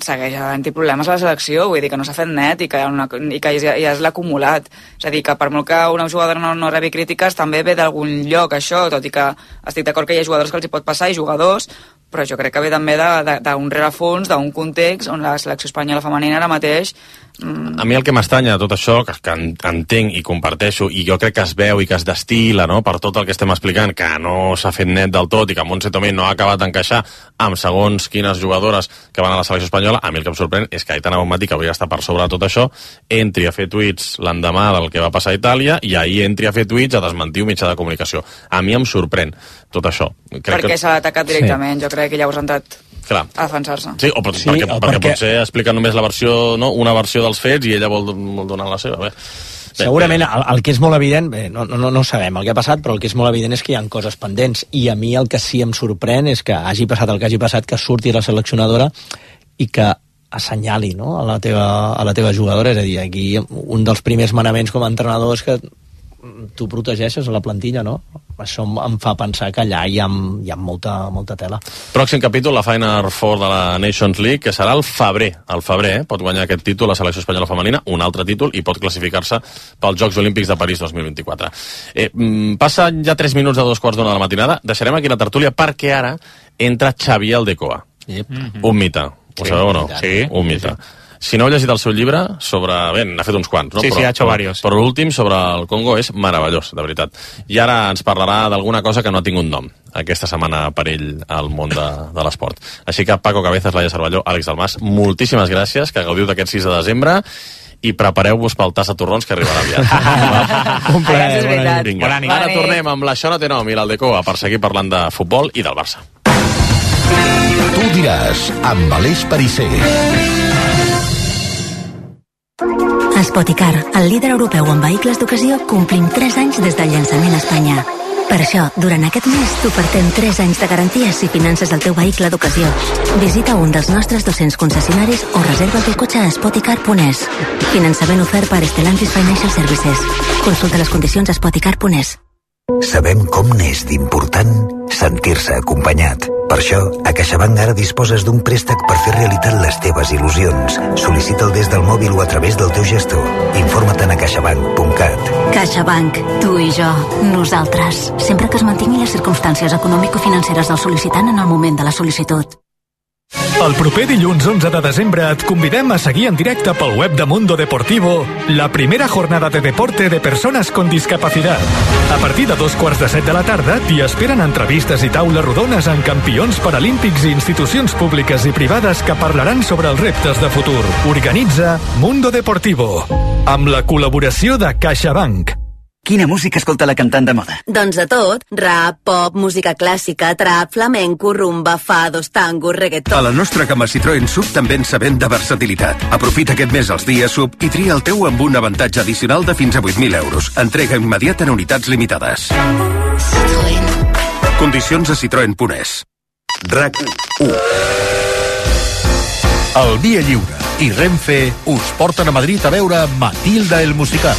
segueix havent-hi problemes a la selecció, vull dir que no s'ha fet net i que, una, i que ja, ja és l'acumulat. És a dir, que per molt que una jugadora no, no rebi crítiques, també ve d'algun lloc això, tot i que estic d'acord que hi ha jugadors que els hi pot passar i jugadors, però jo crec que ve també d'un rerefons, d'un context on la selecció espanyola femenina ara mateix... Mm... A mi el que m'estranya de tot això, que, que entenc i comparteixo, i jo crec que es veu i que es destila, no?, per tot el que estem explicant, que no s'ha fet net del tot i que Montse Tomé no ha acabat d'encaixar amb segons quines jugadores que van a la selecció espanyola, a mi el que em sorprèn és que Aitana Bonmatí, que hauria d'estar per sobre de tot això, entri a fer tuits l'endemà del que va passar a Itàlia i ahir entri a fer tuits a desmentir un mitjà de comunicació. A mi em sorprèn tot això. Crec perquè que... s'ha atacat directament, sí. Jo crec que llavors han entrat Clar. a defensar-se. Sí, o pot, sí, perquè, o perquè, perquè potser explica només la versió, no? Una versió dels fets i ella vol, vol donar la seva. Bé. Bé, Segurament bé. el, el que és molt evident, bé, no, no, no sabem el que ha passat, però el que és molt evident és que hi ha coses pendents, i a mi el que sí em sorprèn és que hagi passat el que hagi passat, que surti la seleccionadora i que assenyali, no?, a la teva, a la teva jugadora. És a dir, aquí un dels primers manaments com a entrenador és que tu protegeixes a la plantilla, no? Això em fa pensar que allà hi ha, hi ha molta, molta tela. Pròxim capítol, la Final Four de la Nations League, que serà el febrer. El febrer, eh? Pot guanyar aquest títol la selecció espanyola femenina, un altre títol, i pot classificar-se pels Jocs Olímpics de París dos mil vint-i-quatre. Eh, passen ja tres minuts de dos quarts d'una de la matinada. Deixarem aquí la tertúlia perquè ara entra Xavier Aldecoa. Yep. Un mite. Ho Sí. sabeu o no? Sí. Un mite. Si no heu llegit el seu llibre sobre... Bé, n'ha fet uns quants, no? Sí, però, sí, ha hecho però, varios. Però l'últim, sobre el Congo, és meravellós, de veritat. I ara ens parlarà d'alguna cosa que no ha tingut nom aquesta setmana per ell al món de, de l'esport. Així que Paco Cabezas, Laia Cervelló, Àlex Dalmàs, moltíssimes gràcies, que gaudiu d'aquest sis de desembre i prepareu-vos pel tas de torrons que arribarà aviat. Un plaer, bona nit. Vinga. Bona nit. Ara tornem amb l'Això no té nom i l'Aldecoa per seguir parlant de futbol i del Barça. Tu diràs, amb Aleix Perisser. Spoticar, el líder europeu en vehicles d'ocasió, complim tres anys des del llançament a Espanya. Per això, durant aquest mes t'ofertem tres anys de garanties si finances el teu vehicle d'ocasió. Visita un dels nostres dos-cents concessionaris o reserva el teu cotxe a spoticar punt es. Finançament ofert per Stellantis Financial Services. Consulta les condicions a spoticar punt es. Sabem com n'és d'important sentir-se acompanyat. Per això, a CaixaBank ara disposes d'un préstec per fer realitat les teves il·lusions. Sol·licita'l des del mòbil o a través del teu gestor. Informa't a caixabank punt cat. CaixaBank, tu i jo, nosaltres. Sempre que es mantinguin les circumstàncies econòmico-financeres del sol·licitant en el moment de la sol·licitud. El proper dilluns onze de desembre et convidem a seguir en directe pel web de Mundo Deportivo la primera jornada de deporte de persones con discapacidad. A partir de dos quarts de set de la tarda t'hi esperen entrevistes i taules rodones amb campions paralímpics i institucions públiques i privades que parlaran sobre els reptes de futur. Organitza Mundo Deportivo amb la col·laboració de CaixaBank. Quina música escolta la cantant de moda? Doncs de tot. Rap, pop, música clàssica, trap, flamenco, rumba, fados, tango, reggaeton... A la nostra gamma Citroën Sub també ens sabem de versatilitat. Aprofita aquest mes els dies Sub i tria el teu amb un avantatge addicional de fins a vuit mil euros. Entrega immediata en unitats limitades. Citroën. Condicions a citroen punt es. RAC u. El Via Lliure i Renfe us porten a Madrid a veure Matilda el musical.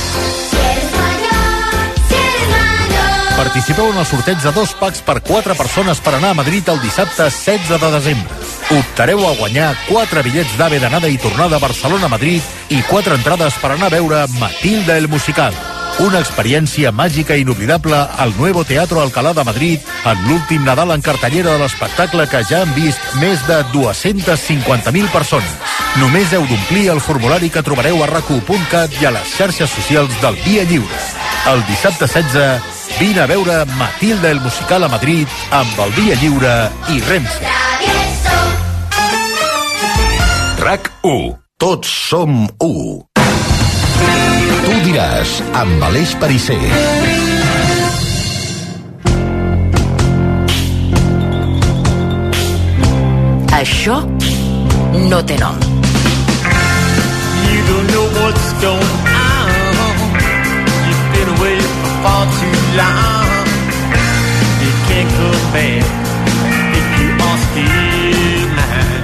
Participeu en el sorteig de dos packs per quatre persones per anar a Madrid el dissabte setze de desembre. Optareu a guanyar quatre bitllets d'AVE d'anada i tornada a Barcelona-Madrid i quatre entrades per anar a veure Matilda el musical. Una experiència màgica i inoblidable al Nuevo Teatro Alcalá de Madrid en l'últim Nadal en cartellera de l'espectacle que ja han vist més de dues-centes cinquanta mil persones. Només heu d'omplir el formulari que trobareu a rac u punt cat i a les xarxes socials del Via Lliure. El dissabte setze, vine a veure Matilda el musical a Madrid amb el Via Lliure i Renfe. RAC u. Tots som u. Tu diràs, amb Aleix Perisser. Això no té nom. You don't know what's going on. You've been away for far too long. You can't come back if you are still mine.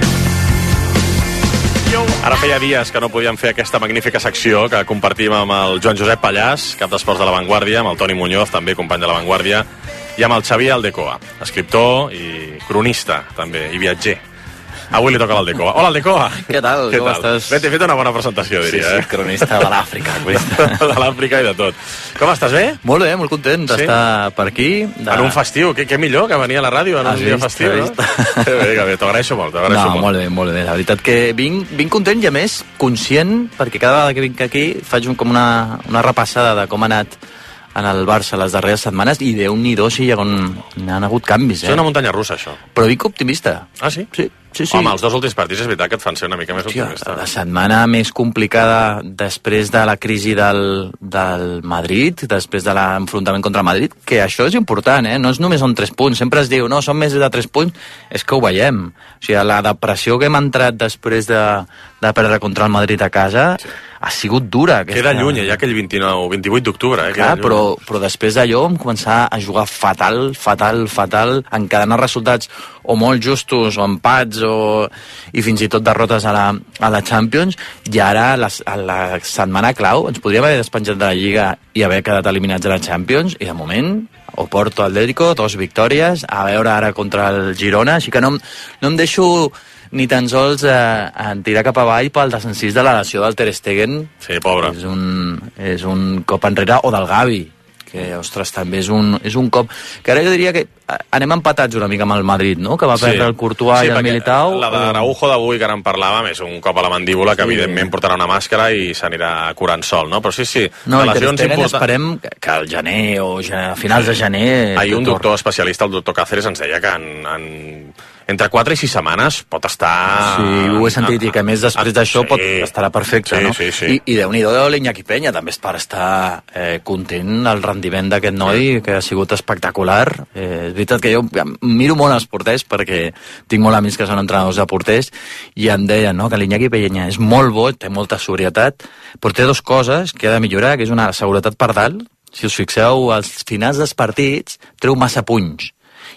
Ara feia dies que no podíem fer aquesta magnífica secció que compartim amb el Joan Josep Pallàs, cap d'esports de La Vanguardia, amb el Toni Muñoz, també company de La Vanguardia, i amb el Xavier Aldecoa, escriptor i cronista, també, i viatger. Avui li toca l'Aldecoa. Hola, Aldecoa! Què tal? Què Com tal? estàs? Bé, t'he fet una bona presentació, diria. Sí, sí, eh? cronista de l'Àfrica. De l'Àfrica i de tot. Com estàs, bé? Molt bé, molt content d'estar sí? per aquí. De... En un festiu, què, què millor que venir a la ràdio en un dia festiu, no? Que bé, que bé, t'agraeixo molt, t'agraeixo no, molt. molt bé, molt bé. La veritat que vinc, vinc content i a més conscient, perquè cada vegada que vinc aquí faig un, com una, una repassada de com ha anat en el Barça les darreres setmanes i Déu-n'hi-do si hi ha, hi ha hagut canvis, eh? És una muntanya russa, això. Però vinc optimista. Ah, sí? Sí. Sí, sí. Home, els dos últims partits és veritat que et fan ser una mica més Hòstia, optimista. la setmana més complicada després de la crisi del, del Madrid, després de l'enfrontament contra el Madrid, que això és important, eh? No és només són tres punts. Sempre es diu, no, són més de tres punts. És que ho veiem. O sigui, la depressió que hem entrat després de, de perdre contra el Madrid a casa sí. ha sigut dura. Aquesta... Queda lluny, ja aquell vint-i-nou, vint-i-vuit d'octubre. Eh? Clar, però, però després d'allò vam començar a jugar fatal, fatal, fatal, encadenar resultats o molt justos, o empats, o... i fins i tot derrotes a la, a la Champions, i ara la, a la setmana clau ens podríem haver despenjat de la Lliga i haver quedat eliminats de la Champions, i de moment Oporto Atlético, dos victòries, a veure ara contra el Girona, així que no, no em deixo ni tan sols eh, en tirar cap avall pel desencís de la lesió del Ter Stegen. Sí, pobre. És un, és un cop enrere, o del Gavi, que, ostres, també és un, és un cop... Que ara jo diria que anem empatats una mica amb el Madrid, no? Que va perdre sí. el Courtois sí, i el Militao. La d'Araujo d'avui, que ara en parlàvem, és un cop a la mandíbula que sí. evidentment portarà una màscara i s'anirà curant sol, no? Però sí, sí. No, i Ter Stegen important... esperem que al gener o a finals de gener... Ahir un doctor especialista, el doctor Cáceres, ens deia que en, en entre quatre i sis setmanes pot estar... Sí, ho he sentit, i que a més després d'això sí. pot estarà perfecte, sí, no? Sí, sí. I, i Déu-n'hi-do l'Iñaki Peña, també és per estar eh, content el rendiment d'aquest noi, que ha sigut espectacular. Eh, és veritat que jo miro molt els porters, perquè tinc molt amics que són entrenadors de porters, i em deien, no?, que l'Iñaki Peña és molt bo, té molta sobrietat, però té dues coses que ha de millorar, que és una seguretat per dalt. Si us fixeu, als finals dels partits treu massa punys.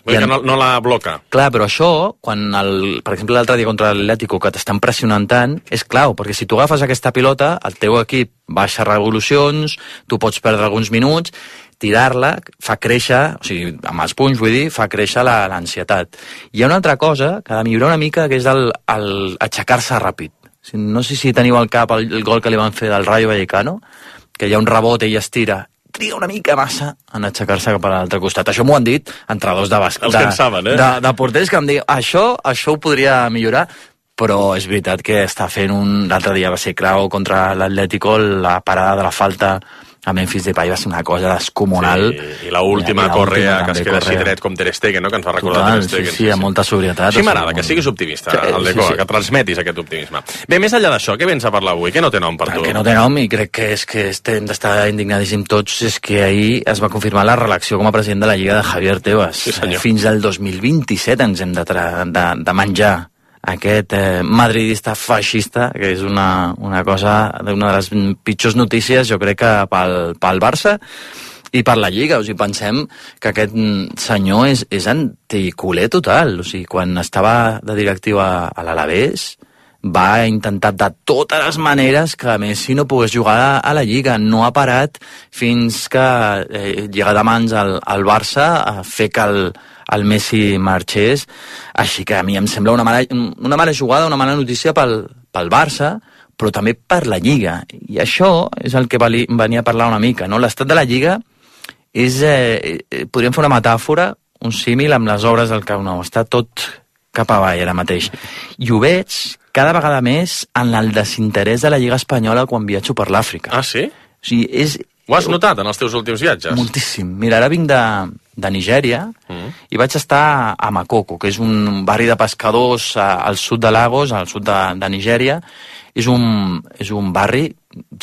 Vull en... que no, no la bloca. Clar, però això, quan, el, per exemple, l'altre dia contra l'Atlético, que t'estan pressionant tant, és clau, perquè si tu agafes aquesta pilota, el teu equip baixa revolucions, tu pots perdre alguns minuts, tirar-la fa créixer, o sigui, amb els punys, vull dir, fa créixer l'ansietat. Hi ha una altra cosa que ha de millorar una mica, que és el, el aixecar-se ràpid. No sé si teniu al cap el, el gol que li van fer del Rayo Vallecano, que hi ha un rebot i ell es tira, triga una mica massa en aixecar-se cap a l'altre costat. Això m'ho han dit entrenadors de bàsquet, els que en saben, eh? de, de porters, que em diuen, això, això ho podria millorar, però és veritat que està fent un... L'altre dia va ser clau contra l'Atlético, la parada de la falta a Memphis Depay va ser una cosa descomunal. Sí, i l'última Correa, que es queda així dret com Ter Stegen, no?, que ens fa recordar Total, Ter Stegen. Sí, sí, amb molta sobrietat. Sí, m'agrada, que siguis optimista, sí, el Deco, sí, sí. que transmetis aquest optimisme. Bé, més enllà d'això, què vens a parlar avui? Què no té nom per tu? El que no té nom, i crec que és que hem d'estar indignadíssim tots, és que ahir es va confirmar la reelecció com a president de la Lliga de Javier Tebas. Sí, senyor. Fins al dos mil vint-i-set ens hem de, de, de menjar aquest eh, madridista feixista, que és una, una cosa, una de les pitjors notícies, jo crec que pel, pel Barça i per la Lliga. O sigui, pensem que aquest senyor és, és anticuler total. O sigui, quan estava de directiu a, a l'Alavés, va intentar de totes les maneres que Messi no pogués jugar a, a la Lliga. No ha parat fins que eh, llega de mans al, al Barça a fer que el, el Messi marxés. Així que a mi em sembla una mala, una mala jugada, una mala notícia pel, pel Barça, però també per la Lliga. I això és el que vali, venia a parlar una mica, no? L'estat de la Lliga és... Eh, podríem fer una metàfora, un símil amb les obres del Camp Nou. Està tot cap avall ara mateix. I ho veig cada vegada més en el desinterès de la Lliga Espanyola quan viatjo per l'Àfrica. Ah, sí? O sigui, és... Ho has notat en els teus últims viatges? Moltíssim. Mira, ara vinc de, de Nigèria mm. i vaig estar a Makoko, que és un barri de pescadors al sud de Lagos, al sud de, de Nigèria. És un, és un barri,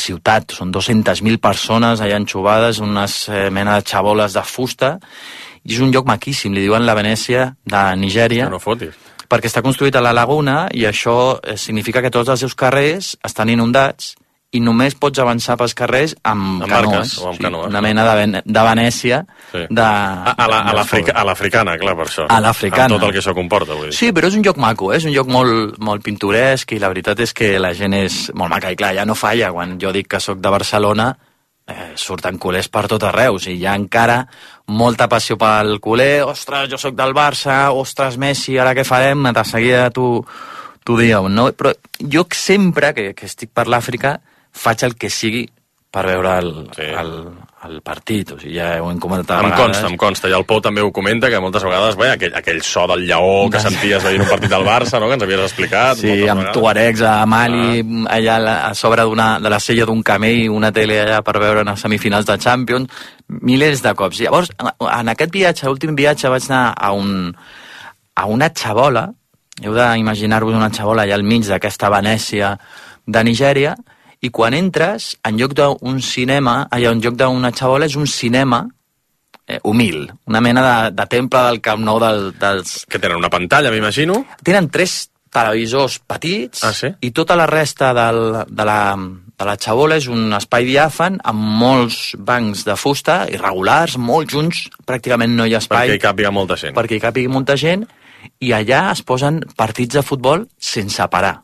ciutat, són dues-centes mil persones allà enxubades, unes eh, mena de xaboles de fusta, i és un lloc maquíssim, li diuen la Venècia de Nigèria. No fotis. Perquè està construït a la laguna i això significa que tots els seus carrers estan inundats i només pots avançar pels carrers amb, amb canoes. Barques, o amb canoes. Sí, una mena de, de Venècia. Sí. De, a a l'africana, la, clar, per això. A l'africana. Amb tot el que això comporta, vull dir. Sí, però és un lloc maco, eh? És un lloc molt, molt pintoresc i la veritat és que la gent és molt maca. I clar, ja no falla. Quan jo dic que sóc de Barcelona, eh, surten culers per tot arreu. O sigui, hi ha encara molta passió pel culer. Ostres, jo sóc del Barça, ostres, Messi, ara què farem? De seguida tu, tu dieu, no? Però jo sempre que, que estic per l'Àfrica faig el que sigui per veure el, sí. el, el partit, o sigui, ja ho hem comentat em consta, em consta, i el Pou també ho comenta, que moltes vegades, bé, aquell, aquell so del lleó que senties veient un partit del Barça, no?, que ens havies explicat. Sí, amb vegades. Tuaregs a Mali, ah. allà a sobre de la sella d'un camell, una tele allà per veure en les semifinals de Champions, milers de cops. Llavors, en aquest viatge, l'últim viatge, vaig anar a, un, a una xabola, heu d'imaginar-vos una xabola allà al mig d'aquesta Venècia de Nigèria, i quan entres, en lloc d'un cinema, allà en lloc d'una xabola, és un cinema eh, humil, una mena de, de temple del Camp Nou del, dels... Que tenen una pantalla, m'imagino? Tenen tres televisors petits, ah, sí? I tota la resta del, de, la, de la xabola és un espai diàfan amb molts bancs de fusta irregulars, molt junts, pràcticament no hi ha espai. Perquè hi càpiga molta gent. Perquè hi càpiga molta gent, i allà es posen partits de futbol sense parar.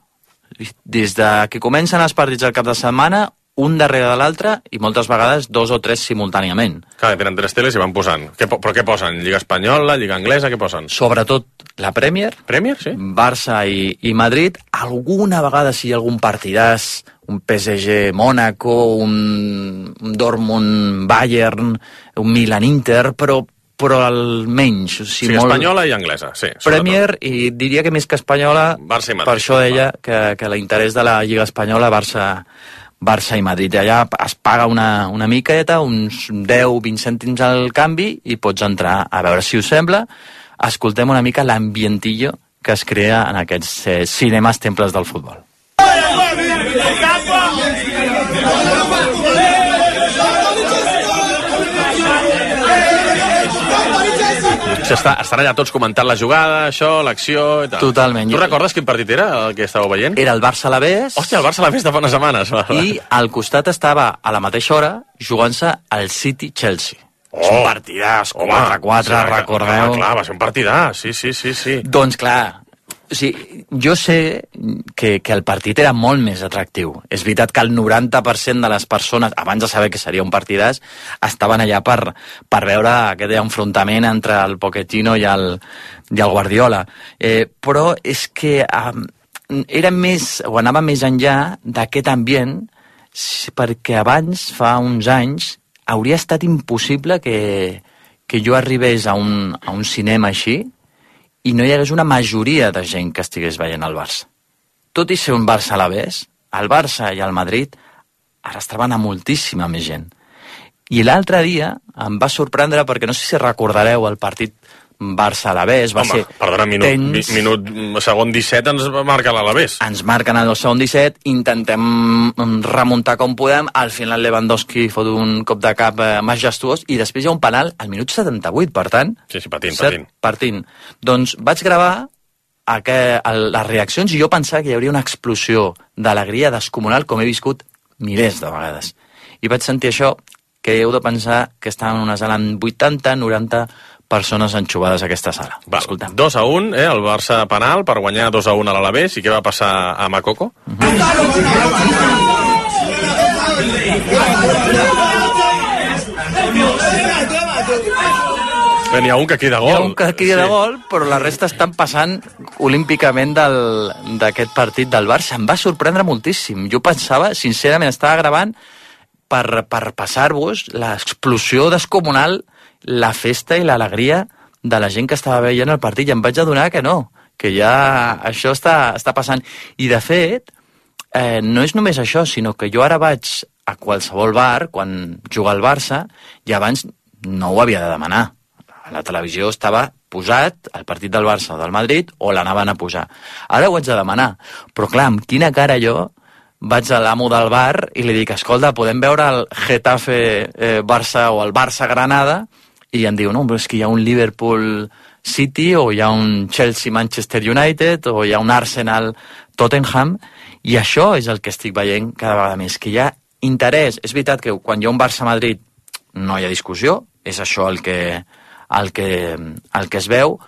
Des de que comencen els partits al cap de setmana, un darrere de l'altre, i moltes vegades dos o tres simultàniament. Clar, tenen tres teles i van posant. Què, però què posen? Lliga espanyola, Lliga anglesa, què posen? Sobretot la Premier. Premier, sí. Barça i, i Madrid. Alguna vegada si hi ha algun partidàs, un P S G Mónaco, un, un Dortmund Bayern, un Milan Inter, però però almenys. O sigui, sí, molt... espanyola i anglesa, sí. Premier, i diria que més que espanyola, Barça i Madrid, per això deia que, que l'interès de la Lliga Espanyola, Barça, Barça i Madrid. Allà es paga una, una miqueta, uns deu a vint cèntims al canvi, i pots entrar a veure si us sembla. Escoltem una mica l'ambientillo que es crea en aquests eh, cinemes temples del futbol. Està, estan allà tots comentant la jugada, això, l'acció i tal. Totalment. Tu recordes quin partit era el que estàveu veient? Era el Barça-Alavés. Hòstia, el Barça-Alavés de fa unes setmanes. I al costat estava, a la mateixa hora, jugant-se el City-Chelsea. Oh, és un partidàs, quatre a quatre, sí, recordeu? Clar, va ser un partidàs, sí, sí, sí, sí. Doncs clar, o sigui, jo sé que, que el partit era molt més atractiu. És veritat que el noranta per cent de les persones, abans de saber que seria un partidàs, estaven allà per, per veure aquest enfrontament entre el Pochettino i el, i el Guardiola. Eh, però és que eh, era més, o anava més enllà d'aquest ambient, perquè abans, fa uns anys, hauria estat impossible que, que jo arribés a un, a un cinema així i no hi hagués una majoria de gent que estigués veient el Barça. Tot i ser un Barça-Alavés, el Barça i el Madrid ara estaven a moltíssima més gent. I l'altre dia em va sorprendre, perquè no sé si recordareu el partit Barça-Alavés, va Home, ser perdona, minut, tens... minut, segon disset ens marca l'Alavés. Ens marquen el segon disset, intentem remuntar com podem, al final Lewandowski fot un cop de cap eh, majestuós, i després hi ha un penal al minut setanta-vuit, per tant... Sí, sí, patint, set, patint. partint. Doncs vaig gravar aquest, el, les reaccions i jo pensava que hi hauria una explosió d'alegria descomunal com he viscut milers de vegades. I vaig sentir això, que heu de pensar que estàvem en una sala amb vuitanta noranta persones enxubades a aquesta sala. Va, dos a un, eh, el Barça penal per guanyar dos a un a l'Alavés. I què va passar a Makoko? Uh -huh. Bé, n'hi ha un que crida gol. Hi ha un que crida sí. gol, però la resta estan passant olímpicament d'aquest partit del Barça. Em va sorprendre moltíssim. Jo pensava, sincerament, estava gravant per, per passar-vos l'explosió descomunal, la festa i l'alegria de la gent que estava veient el partit, i em vaig adonar que no, que ja això està, està passant. I de fet, eh, no és només això, sinó que jo ara vaig a qualsevol bar quan juga al Barça, i abans no ho havia de demanar. A la televisió estava posat el partit del Barça o del Madrid, o l'anaven a posar. Ara ho haig de demanar, però clar, amb quina cara jo vaig a l'amo del bar i li dic, escolta, podem veure el Getafe eh, Barça o el Barça Granada? I em diu, no, però és que hi ha un Liverpool City, o hi ha un Chelsea Manchester United, o hi ha un Arsenal Tottenham, i això és el que estic veient cada vegada més, que hi ha interès. És veritat que quan hi ha un Barça-Madrid no hi ha discussió, és això el que, el que, el que es veu,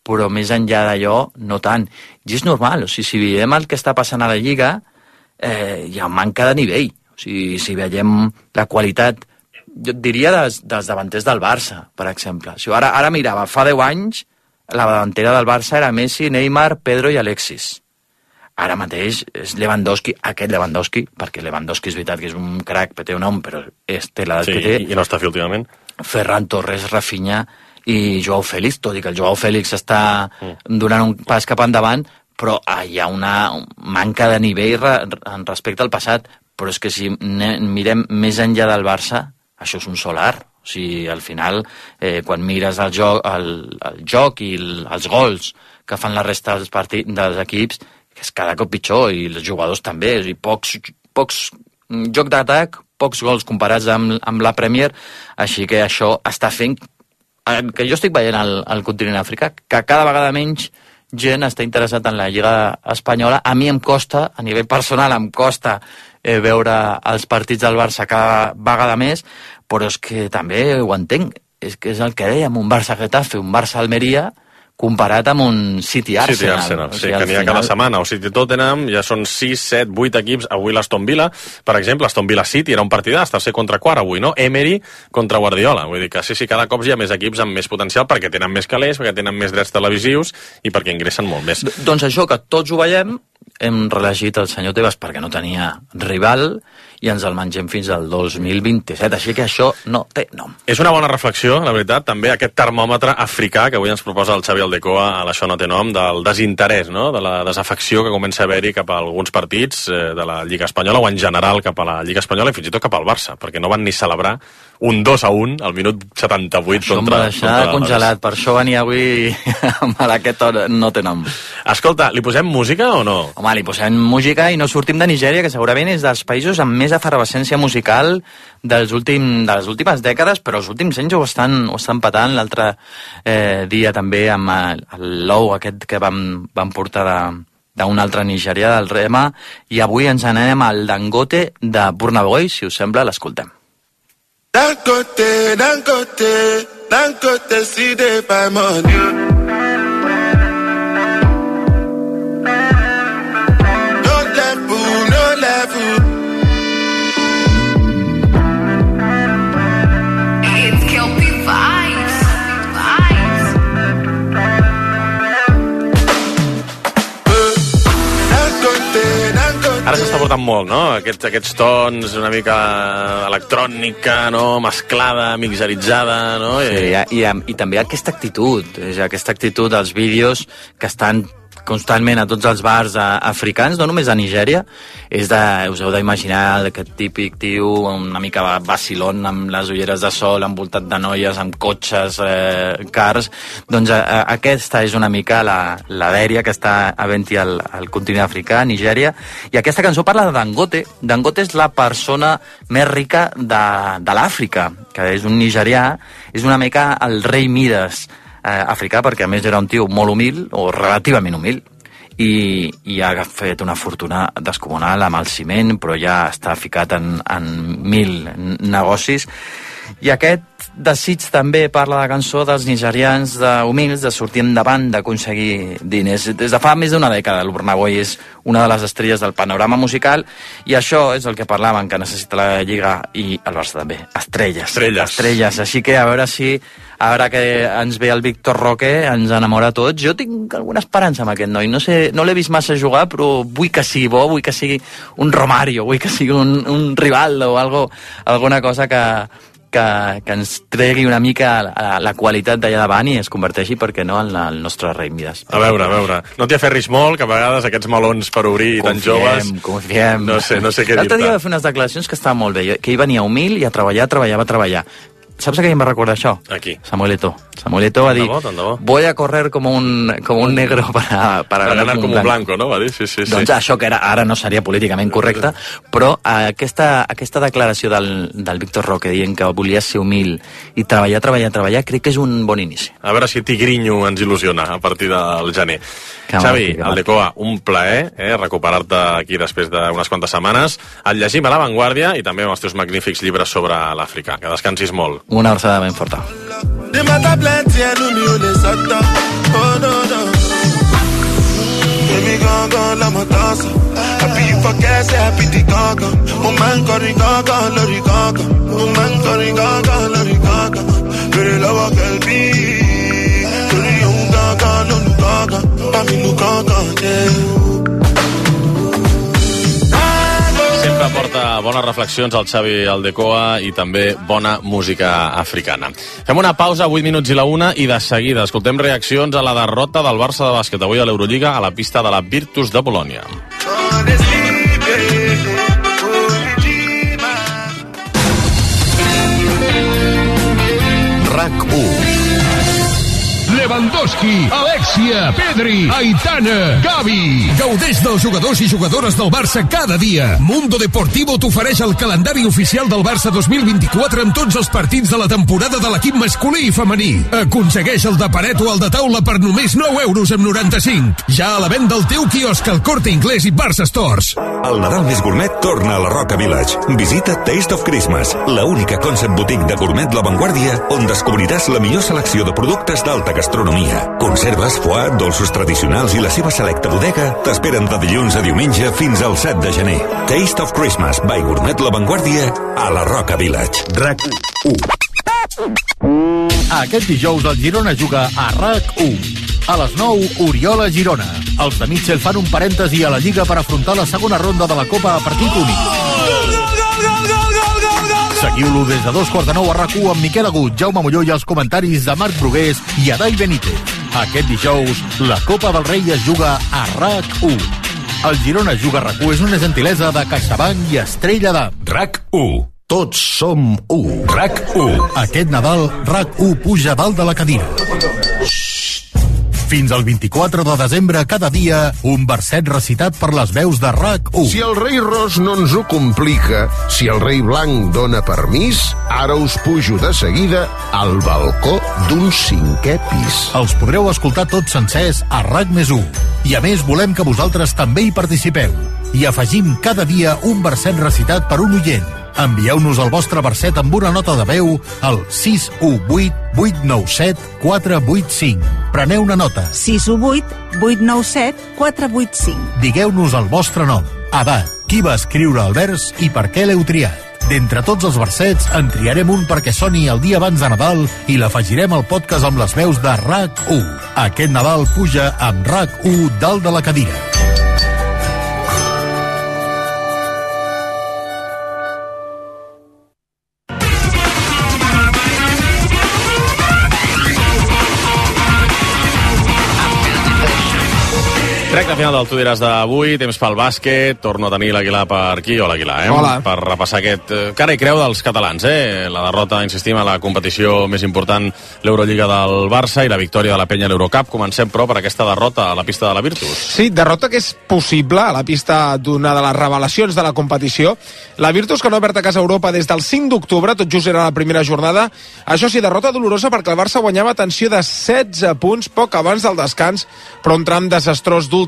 però més enllà d'allò, no tant. I és normal, o sigui, si veiem el que està passant a la Lliga, eh, hi ha manca de nivell. O sigui, si veiem la qualitat, jo et diria dels, dels davanters del Barça, per exemple. O sigui, ara, ara mirava, fa deu anys, la davantera del Barça era Messi, Neymar, Pedro i Alexis. Ara mateix és Lewandowski, aquest Lewandowski, perquè Lewandowski és veritat que és un crac, que té un nom, però és, té l'edat sí, que té. I no està fi últimament. Ferran Torres, Rafinha i Joao Félix, tot i que el Joao Félix està mm. donant un pas cap endavant, però ah, hi ha una manca de nivell re, en respecte al passat. Però és que si mirem més enllà del Barça, això és un solar. O sigui, al final, eh, quan mires el joc, el, el joc i el, els gols que fan la resta dels, partits, dels equips, és cada cop pitjor, i els jugadors també, i pocs, pocs joc d'atac, pocs gols comparats amb, amb la Premier, així que això està fent que jo estic veient al, al continent africà, que cada vegada menys gent està interessat en la Lliga Espanyola. A mi em costa, a nivell personal, em costa eh, veure els partits del Barça cada vegada més, però és que també ho entenc, és que és el que dèiem, un Barça-Getafe, un Barça-Almeria, comparat amb un City-Arsenal. City-Arsenal, sí, o sigui, que n'hi ha final... cada setmana. O City-Tottenham ja són sis, set, vuit equips. Avui l'Aston Villa, per exemple, Aston Villa-City era un partidàs, tercer contra quart avui, no? Emery contra Guardiola. Vull dir que sí, sí, cada cop hi ha més equips amb més potencial perquè tenen més calés, perquè tenen més drets televisius i perquè ingressen molt més. D doncs això, que tots ho veiem, hem reelegit el senyor Tebas perquè no tenia rival i ens el mengem fins al dos mil vint-i-set, així que això no té nom. És una bona reflexió, la veritat, també aquest termòmetre africà que avui ens proposa el Xavi Aldecoa a l'Això no té nom, del desinterès, no? De la desafecció que comença a haver-hi cap a alguns partits eh, de la Lliga Espanyola o en general cap a la Lliga Espanyola i fins i tot cap al Barça, perquè no van ni celebrar un dos a un al minut setanta-vuit això contra... Això em va deixar contra congelat, per això venia avui amb aquest no té nom. Escolta, li posem música o no? Home, li posem música i no sortim de Nigèria, que segurament és dels països amb més efervescència musical dels últim, de les últimes dècades, però els últims anys ho estan, ho estan patant. L'altre eh, dia també amb el, el Low aquest que vam, vam portar de d'un altre nigerià, del Rema, i avui ens anem al Dangote de Burna Boy, si us sembla, l'escoltem. Dangote, Dangote, Dangote, see they buy money. No level, no level. It's Kelpie vibes, vibes. Ara s'està portant molt, no? Aquests, aquests tons, una mica electrònica, no? Mesclada, mixeritzada, no? Sí, i, i, i també aquesta actitud, és aquesta actitud dels vídeos que estan constantment a tots els bars africans, no només a Nigèria, és de, us heu d'imaginar aquest típic tio una mica vacilón amb les ulleres de sol, envoltat de noies, amb cotxes, eh, cars, doncs a, a, aquesta és una mica la, la dèria que està havent-hi al, al continent africà, a Nigèria, i aquesta cançó parla de Dangote. Dangote és la persona més rica de, de l'Àfrica, que és un nigerià, és una mica el rei Mides, Eh, africà, perquè a més era un tio molt humil, o relativament humil, i, i ha fet una fortuna descomunal amb el ciment, però ja està ficat en, en mil negocis. I aquest desig també parla de la cançó dels nigerians de humils, de sortir endavant, d'aconseguir diners. Des de fa més d'una dècada el Burna Boy és una de les estrelles del panorama musical, i això és el que parlaven, que necessita la Lliga i el Barça també. Estrelles. Estrelles. Estrelles. Així que a veure si ara que ens ve el Víctor Roque ens enamora a tots. Jo tinc alguna esperança amb aquest noi. No sé, no l'he vist massa jugar, però vull que sigui bo, vull que sigui un Romario, vull que sigui un, un Rivaldo o algo, alguna cosa que, que, que ens tregui una mica la, la qualitat d'allà davant i es converteixi, perquè no, en la, el nostre rei Mides. A veure, a veure. No t'hi aferris molt, que a vegades aquests melons per obrir confiem, tan joves... Confiem, No sé, no sé què dir-te. L'altre dia va fer unes declaracions que estaven molt bé, que ell venia humil i a treballar, treballar, va treballar. ¿Saps a qué me recuerda això? Aquí. Samuel Eto'o. Samuel Eto'o va dir, voy a correr como un, como un negro para, para, para ganar com un blanco, no? Va dir, sí, sí, sí. Doncs això que era, ara no seria políticament correcte, però aquesta, aquesta declaració del, del Víctor Roque dient que volia ser humil i treballar, treballar, treballar, crec que és un bon inici. A veure si Tigrinho ens il·lusiona a partir del gener. Que Xavi, mal, Aldecoa, un plaer eh, recuperar-te aquí després d'unes quantes setmanes. El llegim a La Vanguardia i també amb els teus magnífics llibres sobre l'Àfrica. Que descansis molt. Una abraçada ben forta. Baby, gone, gone, la matanza. Happy you forget, say happy the gaga. Woman, curry gaga, lorry gaga. Woman, curry gaga, lorry gaga. Very love, girl, be. Curry, young gaga, no gaga. Mami, no gaga, yeah. Sempre porta bones reflexions al Xavi Aldecoa i també bona música africana. Fem una pausa, vuit minuts i la una, i de seguida escoltem reaccions a la derrota del Barça de bàsquet avui a l'Eurolliga a la pista de la Virtus de Bolònia. RAC u. Lewandowski, Alexia, Pedri, Aitana, Gavi. Gaudeix dels jugadors i jugadores del Barça cada dia. Mundo Deportivo t'ofereix el calendari oficial del Barça dos mil vint-i-quatre amb tots els partits de la temporada de l'equip masculí i femení. Aconsegueix el de paret o el de taula per només nou euros amb noranta-cinc. Ja a la venda al teu quiosc al Corte Inglés i Barça Stores. El Nadal més gourmet torna a la Roca Village. Visita Taste of Christmas, la única concept boutique de gourmet La Vanguardia on descobriràs la millor selecció de productes d'alta gastronomia. Conserves, foie, dolços tradicionals i la seva selecta bodega t'esperen de dilluns a diumenge fins al set de gener. Taste of Christmas by Gourmet La Vanguardia a la Roca Village. RAC u. Aquest dijous el Girona juga a RAC u. A les nou, Oriola Girona. Els de Mitchell fan un parèntesi a la Lliga per afrontar la segona ronda de la Copa a partit únic. Seguiu-lo des de dos quarts de nou a RAC u amb Miquel Agut, Jaume Molló i els comentaris de Marc Brugués i Adai Benítez. Aquest dijous, la Copa del Rei es juga a RAC u. El Girona juga a RAC u és una gentilesa de CaixaBank i Estrella d'Am. RAC u. Tots som u. RAC u. Aquest Nadal, RAC u puja dalt de la cadira. Fins al vint-i-quatre de desembre, cada dia, un verset recitat per les veus de RAC u. Si el rei Ros no ens ho complica, si el rei Blanc dona permís, ara us pujo de seguida al balcó d'un cinquè pis. Els podreu escoltar tots sencers a RAC més u. I a més, volem que vosaltres també hi participeu. I afegim cada dia un verset recitat per un oient. Envieu-nos el vostre verset amb una nota de veu al sis u vuit vuit nou set quatre vuit cinc. Preneu una nota. sis u vuit vuit nou set quatre vuit cinc. Digueu-nos el vostre nom, edat, qui va escriure el vers i per què l'heu triat. D'entre tots els versets, en triarem un perquè soni el dia abans de Nadal i l'afegirem al podcast amb les veus de RAC u. Aquest Nadal puja amb RAC u dalt de la cadira. Recte final del Tu diràs d'avui, temps pel bàsquet, torno a tenir l'Aguilar per aquí, hola Aguilar, eh? Hola. Per repassar aquest eh, cara i creu dels catalans, eh? La derrota, insistim, a la competició més important, l'Eurolliga del Barça i la victòria de la Penya a l'Eurocup. Comencem, però, per aquesta derrota a la pista de la Virtus. Sí, derrota que és possible a la pista d'una de les revelacions de la competició. La Virtus, que no ha obert a casa Europa des del cinc d'octubre, tot just era la primera jornada. Això sí, derrota dolorosa perquè el Barça guanyava atenció de setze punts poc abans del descans, però un tram desastrós d'últim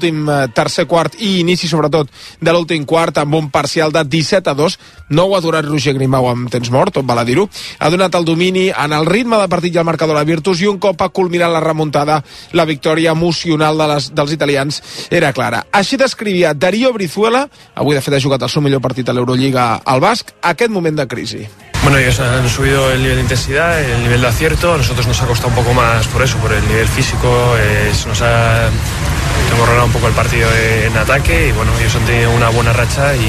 tercer quart i inici, sobretot, de l'últim quart amb un parcial de disset a dos. No ho ha aturat Roger Grimau amb temps mort, tot val a dir-ho. Ha donat el domini en el ritme de partit i el marcador a la Virtus i un cop ha culminat la remuntada, la victòria emocional de les, dels italians era clara. Així descrivia Darío Brizuela, avui de fet ha jugat el seu millor partit a l'Eurolliga al Basc, aquest moment de crisi. Bueno, ellos han subido el nivel de intensidad, el nivel de acierto. A nosotros nos ha costado un poco más por eso, por el nivel físico. Eh, nos ha hemos ganado un poco el partido en ataque y bueno, ellos han tenido una buena racha y,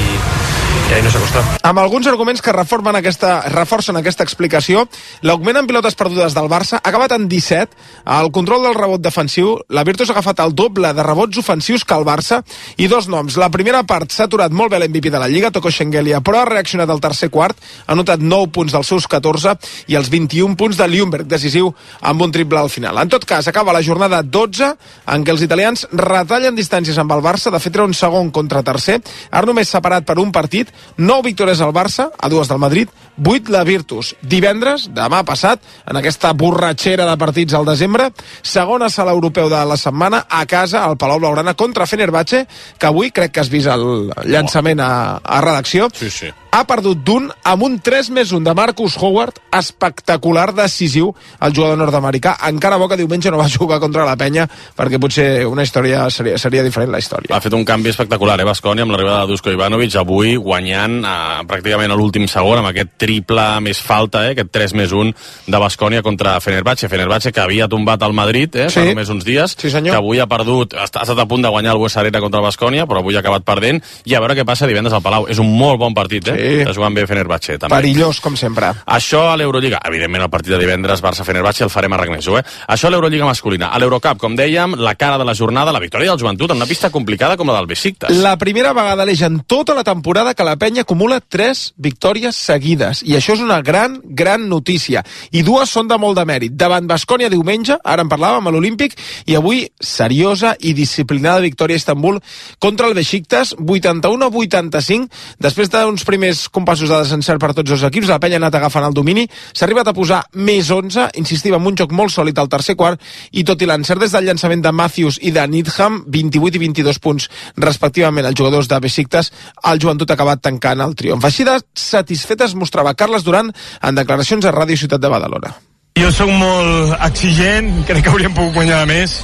i ahí nos ha costat. Amb alguns arguments que reformen aquesta, reforcen aquesta explicació, l'augment en pilotes perdudes del Barça ha acabat en disset. Al control del rebot defensiu, la Virtus ha agafat el doble de rebots ofensius que el Barça i dos noms. La primera part s'ha aturat molt bé l'M V P de la Lliga, Toko Shengelia, però ha reaccionat al tercer quart, ha notat nou punts dels seus catorze i els vint-i-un punts de Ljungberg, decisiu amb un triple al final. En tot cas, acaba la jornada dotze, en què els italians retallen distàncies amb el Barça, de fet era un segon contra tercer, ara només separat per un partit, nou victòries al Barça, a dues del Madrid, vuit la Virtus. Divendres, demà passat, en aquesta borratxera de partits al desembre, segona sala europeu de la setmana, a casa, al Palau Blaugrana, contra Fenerbahce, que avui crec que has vist el llançament a, a redacció. Sí, sí. Ha perdut d'un amb un tres més un de Marcus Howard, espectacular, decisiu, el jugador nord-americà. Encara bo que diumenge no va jugar contra la Penya, perquè potser una història seria, seria diferent la història. Ha fet un canvi espectacular, eh, Baskonia, amb l'arribada de Dusko Ivanovic, avui guanyant eh, pràcticament a l'últim segon, amb aquest triple més falta, eh, aquest tres més un de Baskonia contra Fenerbahce. Fenerbahce que havia tombat al Madrid, eh, sí. fa només uns dies, sí, senyor. que avui ha perdut, ha estat a punt de guanyar el Buesa Arena contra Baskonia, però avui ha acabat perdent, i a veure què passa divendres al Palau. És un molt bon partit, eh? Sí. Està jugant bé Fenerbahce, també. Perillós, com sempre. Això a l'Eurolliga. Evidentment, el partit de divendres, Barça-Fenerbahce, el farem a Ragneso, eh? Això a l'Eurolliga masculina. A l'Eurocup, com dèiem, la cara de la jornada, la victòria del Joventut, en una pista complicada com la del Besiktas. La primera vegada l'eix en tota la temporada que la Penya acumula tres victòries seguides. I això és una gran, gran notícia. I dues són de molt de mèrit. Davant Baskonia diumenge, ara en parlàvem, a l'Olímpic, i avui seriosa i disciplinada victòria a Istanbul contra el Besiktas, vuitanta-u a vuitanta-cinc, després d'uns primers compassos de desencert per tots els equips. La Penya ha anat agafant el domini, s'ha arribat a posar més onze, insistim, amb un joc molt sòlid al tercer quart, i tot i l'encert des del llançament de Matthews i de Needham, vint-i-vuit i vint-i-dos punts respectivament els jugadors de Besiktas, el Joventut ha acabat tancant el triomf. Així de satisfet es mostrava Carles Duran en declaracions a Ràdio Ciutat de Badalona. Jo sóc molt exigent, crec que hauríem pogut guanyar més,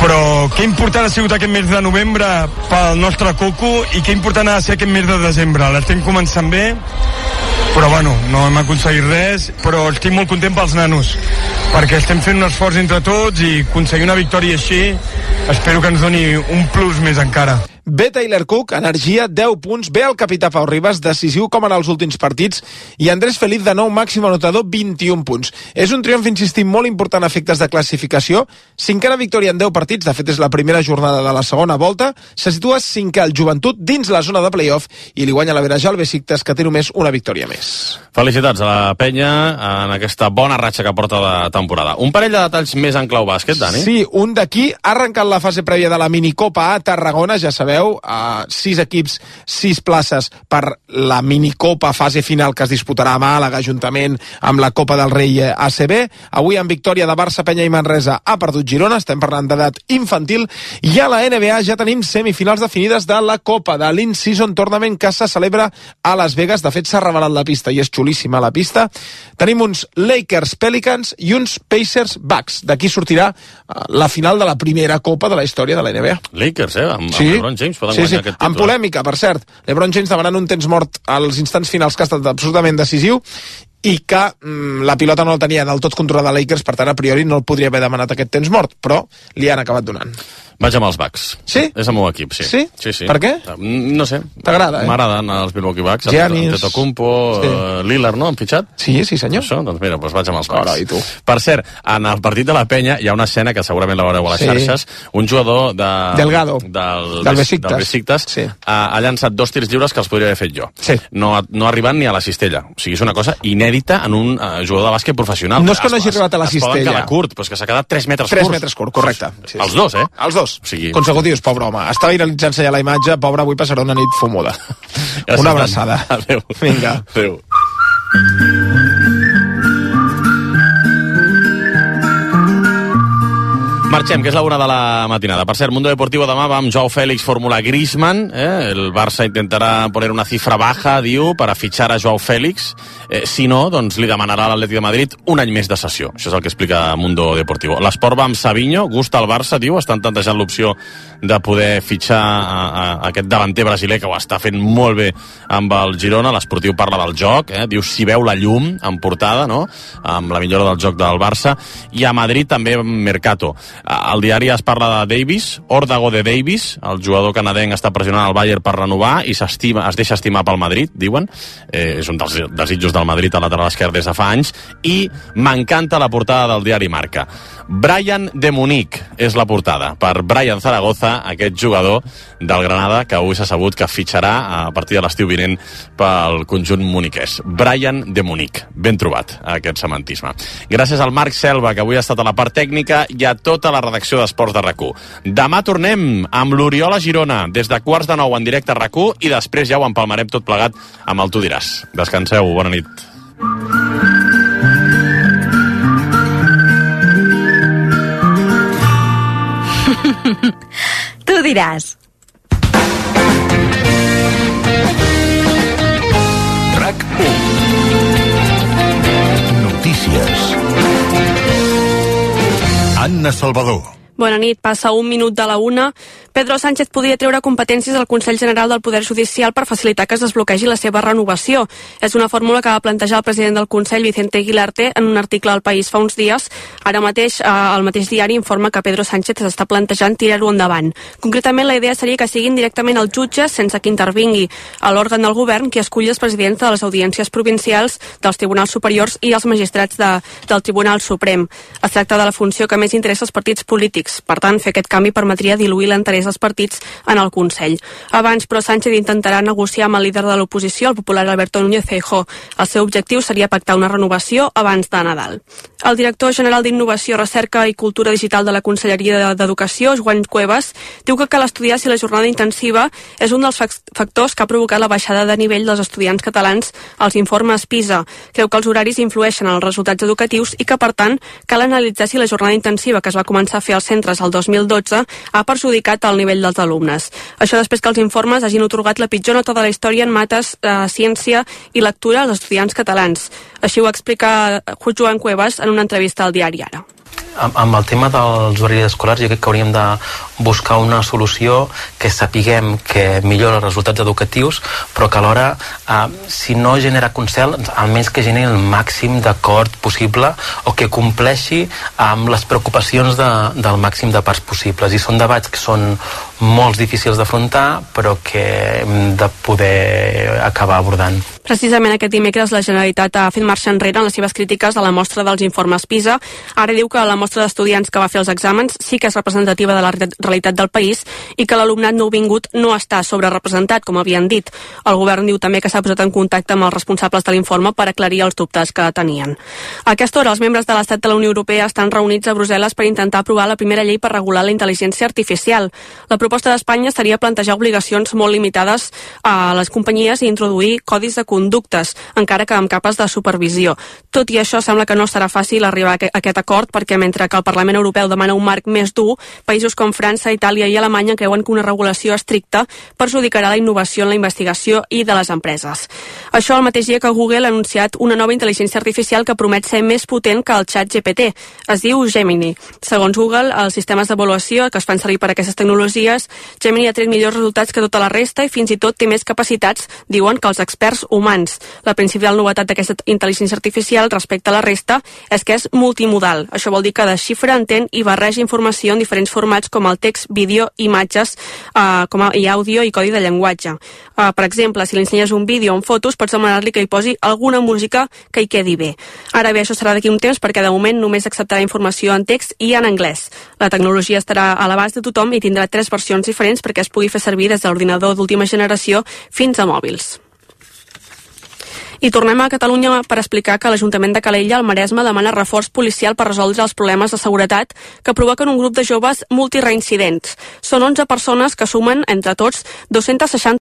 però que important ha sigut aquest mes de novembre pel nostre coco i que important ha de ser aquest mes de desembre. L'estem començant bé, però bueno, no hem aconseguit res, però estic molt content pels nanos, perquè estem fent un esforç entre tots i aconseguir una victòria així espero que ens doni un plus més encara. Ve Taylor Cook, energia, deu punts. Ve el capità Pau Ribas, decisiu com en els últims partits. I Andrés Feliz, de nou, màxim anotador, vint-i-un punts. És un triomf, insistim, molt important a efectes de classificació. Cinquena victòria en deu partits, de fet és la primera jornada de la segona volta. Se situa cinquè el Joventut dins la zona de play-off i li guanya la Verajal al Besiktas, que té només una victòria més. Felicitats a la penya en aquesta bona ratxa que porta de temporada. Un parell de detalls més en clau bàsquet, Dani? Sí, un d'aquí ha arrencat la fase prèvia de la minicopa a Tarragona, ja sabeu, Uh, sis equips, sis places per la minicopa fase final que es disputarà a Màlaga, juntament amb la Copa del Rei A C B. Avui en victòria de Barça, Penya i Manresa ha perdut Girona, estem parlant d'edat infantil, i a la N B A ja tenim semifinals definides de la Copa de l'In-Season Tournament que se celebra a Las Vegas. De fet s'ha revelat la pista i és xulíssima la pista. Tenim uns Lakers Pelicans i uns Pacers Bucks. D'aquí sortirà uh, la final de la primera Copa de la història de la N B A. Lakers, eh? Amb, sí. amb LeBron James poden sí, guanyar sí. aquest títol. En polèmica, per cert. LeBron James demanant un temps mort als instants finals que ha estat absolutament decisiu i que mm, la pilota no el tenia del tot controlada Lakers, per tant, a priori no el podria haver demanat aquest temps mort, però li han acabat donant. Vaig amb els Bucks. Sí? És el meu equip, sí. Sí? Sí, sí. Per què? No sé. T'agrada, eh? M'agraden els Milwaukee Bucks. Giannis. Antetokounmpo, Sí. uh, Lillard, no? Han fitxat? Sí, sí, senyor. Això, doncs mira, doncs vaig amb els Bucks. Ara, i tu? Per cert, en el partit de la penya hi ha una escena que segurament la veureu a les Sí. xarxes. Un jugador de... Delgado. Del, Del Besiktas. Del Besiktas Sí. ha, ha llançat dos tirs lliures que els podria haver fet jo. Sí. No, ha- no ha arribat ni a la cistella. O sigui, és una cosa inèdita en un uh, jugador de bàsquet professional. No és que no Es- hagi arribat a la es poden cistella. quedar curt, però és que s'ha quedat tres metres tres curts. metres curt, correcte. Sí, Els sí. dos, eh? Els dos. O sigui... Consecutius, pobre home. Estava irrealitzant-se ja la imatge, pobre, avui passarà una nit fumuda. Gràcies, Una Dan. abraçada. Adéu. Vinga. Adéu. Marxem, que és la una de la matinada. Per cert, Mundo Deportivo demà va amb Joao Félix, Fórmula Griezmann. Eh? El Barça intentarà poner una cifra baja, diu, per a fitxar a Joao Félix. Eh, si no, doncs li demanarà a l'Atlètic de Madrid un any més de sessió. Això és el que explica Mundo Deportivo. L'Esport va amb Savinho, gusta el Barça, diu, estan plantejant l'opció de poder fitxar a, a, a aquest davanter brasiler que ho està fent molt bé amb el Girona. L'Esportiu parla del joc, eh? Diu si veu la llum en portada, no?, amb la millora del joc del Barça. I a Madrid també Mercato. Al diari es parla de Davis, òrdago de Davis, el jugador canadenc està pressionant el Bayern per renovar i s'estima, es deixa estimar pel Madrid, diuen. Eh, és un dels desitjos del Madrid al lateral esquerre des de fa anys. I m'encanta la portada del diari Marca. Brian de Munic és la portada, per Brian Zaragoza, aquest jugador del Granada que avui s'ha sabut que fitxarà a partir de l'estiu vinent pel conjunt muniquès. Brian de Munic, ben trobat aquest semantisme. Gràcies al Marc Selva, que avui ha estat a la part tècnica, i a tota la redacció d'Esports de RAC u. Demà tornem amb l'Oriol a Girona, des de quarts de nou en directe a RAC u, i després ja ho empalmarem tot plegat amb el Tu diràs. Descanseu, bona nit. Tu diràs. RAC u. Notícies. Anna Salvador. Bona nit, passa un minut de la una. Pedro Sánchez podria treure competències al Consell General del Poder Judicial per facilitar que es desbloquegi la seva renovació. És una fórmula que va plantejar el president del Consell, Vicente Aguilarte, en un article al País fa uns dies. Ara mateix, eh, el mateix diari informa que Pedro Sánchez s'està plantejant tirar-ho endavant. Concretament, la idea seria que siguin directament els jutges, sense que intervingui a l'òrgan del govern, qui esculli els presidents de les audiències provincials, dels tribunals superiors i els magistrats de, del Tribunal Suprem. Es tracta de la funció que més interessa als partits polítics. Per tant, fer aquest canvi permetria diluir l'interès dels partits en el Consell. Abans, però, Sánchez intentarà negociar amb el líder de l'oposició, el popular Alberto Núñez Feijóo. El seu objectiu seria pactar una renovació abans de Nadal. El director general d'Innovació, Recerca i Cultura Digital de la Conselleria d'Educació, Joan Cuevas, diu que cal estudiar si la jornada intensiva és un dels factors que ha provocat la baixada de nivell dels estudiants catalans als informes PISA. Creu que els horaris influeixen en els resultats educatius i que, per tant, cal analitzar si la jornada intensiva que es va començar a fer als centres el dos mil dotze ha perjudicat el nivell dels alumnes. Això després que els informes hagin otorgat la pitjor nota de la història en mates, eh, ciència i lectura als estudiants catalans. Així ho explica Joan Cuevas en una entrevista al diari Ara. Amb, amb el tema dels horaris escolars jo crec que hauríem de buscar una solució que sapiguem que millora els resultats educatius, però que alhora eh, si no genera consens, almenys que generi el màxim d'acord possible o que compleixi amb les preocupacions de, del màxim de parts possibles. I són debats que són molt difícils d'afrontar, però que hem de poder acabar abordant. Precisament aquest dimecres la Generalitat ha fet marxa enrere en les seves crítiques a la mostra dels informes PISA. Ara diu que la mostra d'estudiants que va fer els exàmens sí que és representativa de la realitat del país i que l'alumnat nouvingut no està sobrerepresentat, com havien dit. El govern diu també que s'ha posat en contacte amb els responsables de l'informe per aclarir els dubtes que tenien. A aquesta hora, els membres de l'Estat de la Unió Europea estan reunits a Brussel·les per intentar aprovar la primera llei per regular la intel·ligència artificial. La proposta d'Espanya seria plantejar obligacions molt limitades a les companyies i introduir codis de conductes, encara que amb capes de supervisió. Tot i això, sembla que no serà fàcil arribar a aquest acord, perquè mentre que el Parlament Europeu demana un marc més dur, països com França, Itàlia i Alemanya creuen que una regulació estricta perjudicarà la innovació en la investigació i de les empreses. Això el mateix dia que Google ha anunciat una nova intel·ligència artificial que promet ser més potent que el xat G P T. Es diu Gemini. Segons Google, els sistemes d'avaluació que es fan servir per a aquestes tecnologies, Gemini ha tret millors resultats que tota la resta i fins i tot té més capacitats, diuen, que els experts humans. La principal novetat d'aquesta intel·ligència artificial respecte a la resta és que és multimodal. Això vol dir que desxifra, entén i barreja informació en diferents formats com el text, vídeo, imatges, eh, com a, i àudio i codi de llenguatge. Eh, per exemple, si li ensenyes un vídeo amb fotos, pots demanar-li que hi posi alguna música que hi quedi bé. Ara bé, això serà d'aquí un temps perquè de moment només acceptarà informació en text i en anglès. La tecnologia estarà a l'abast de tothom i tindrà tres versions diferents perquè es pugui fer servir des de l'ordinador d'última generació fins a mòbils. I tornem a Catalunya per explicar que l'Ajuntament de Calella, al Maresme, demana reforç policial per resoldre els problemes de seguretat que provoquen un grup de joves multireincidents. Són onze persones que sumen, entre tots, dos-cents seixanta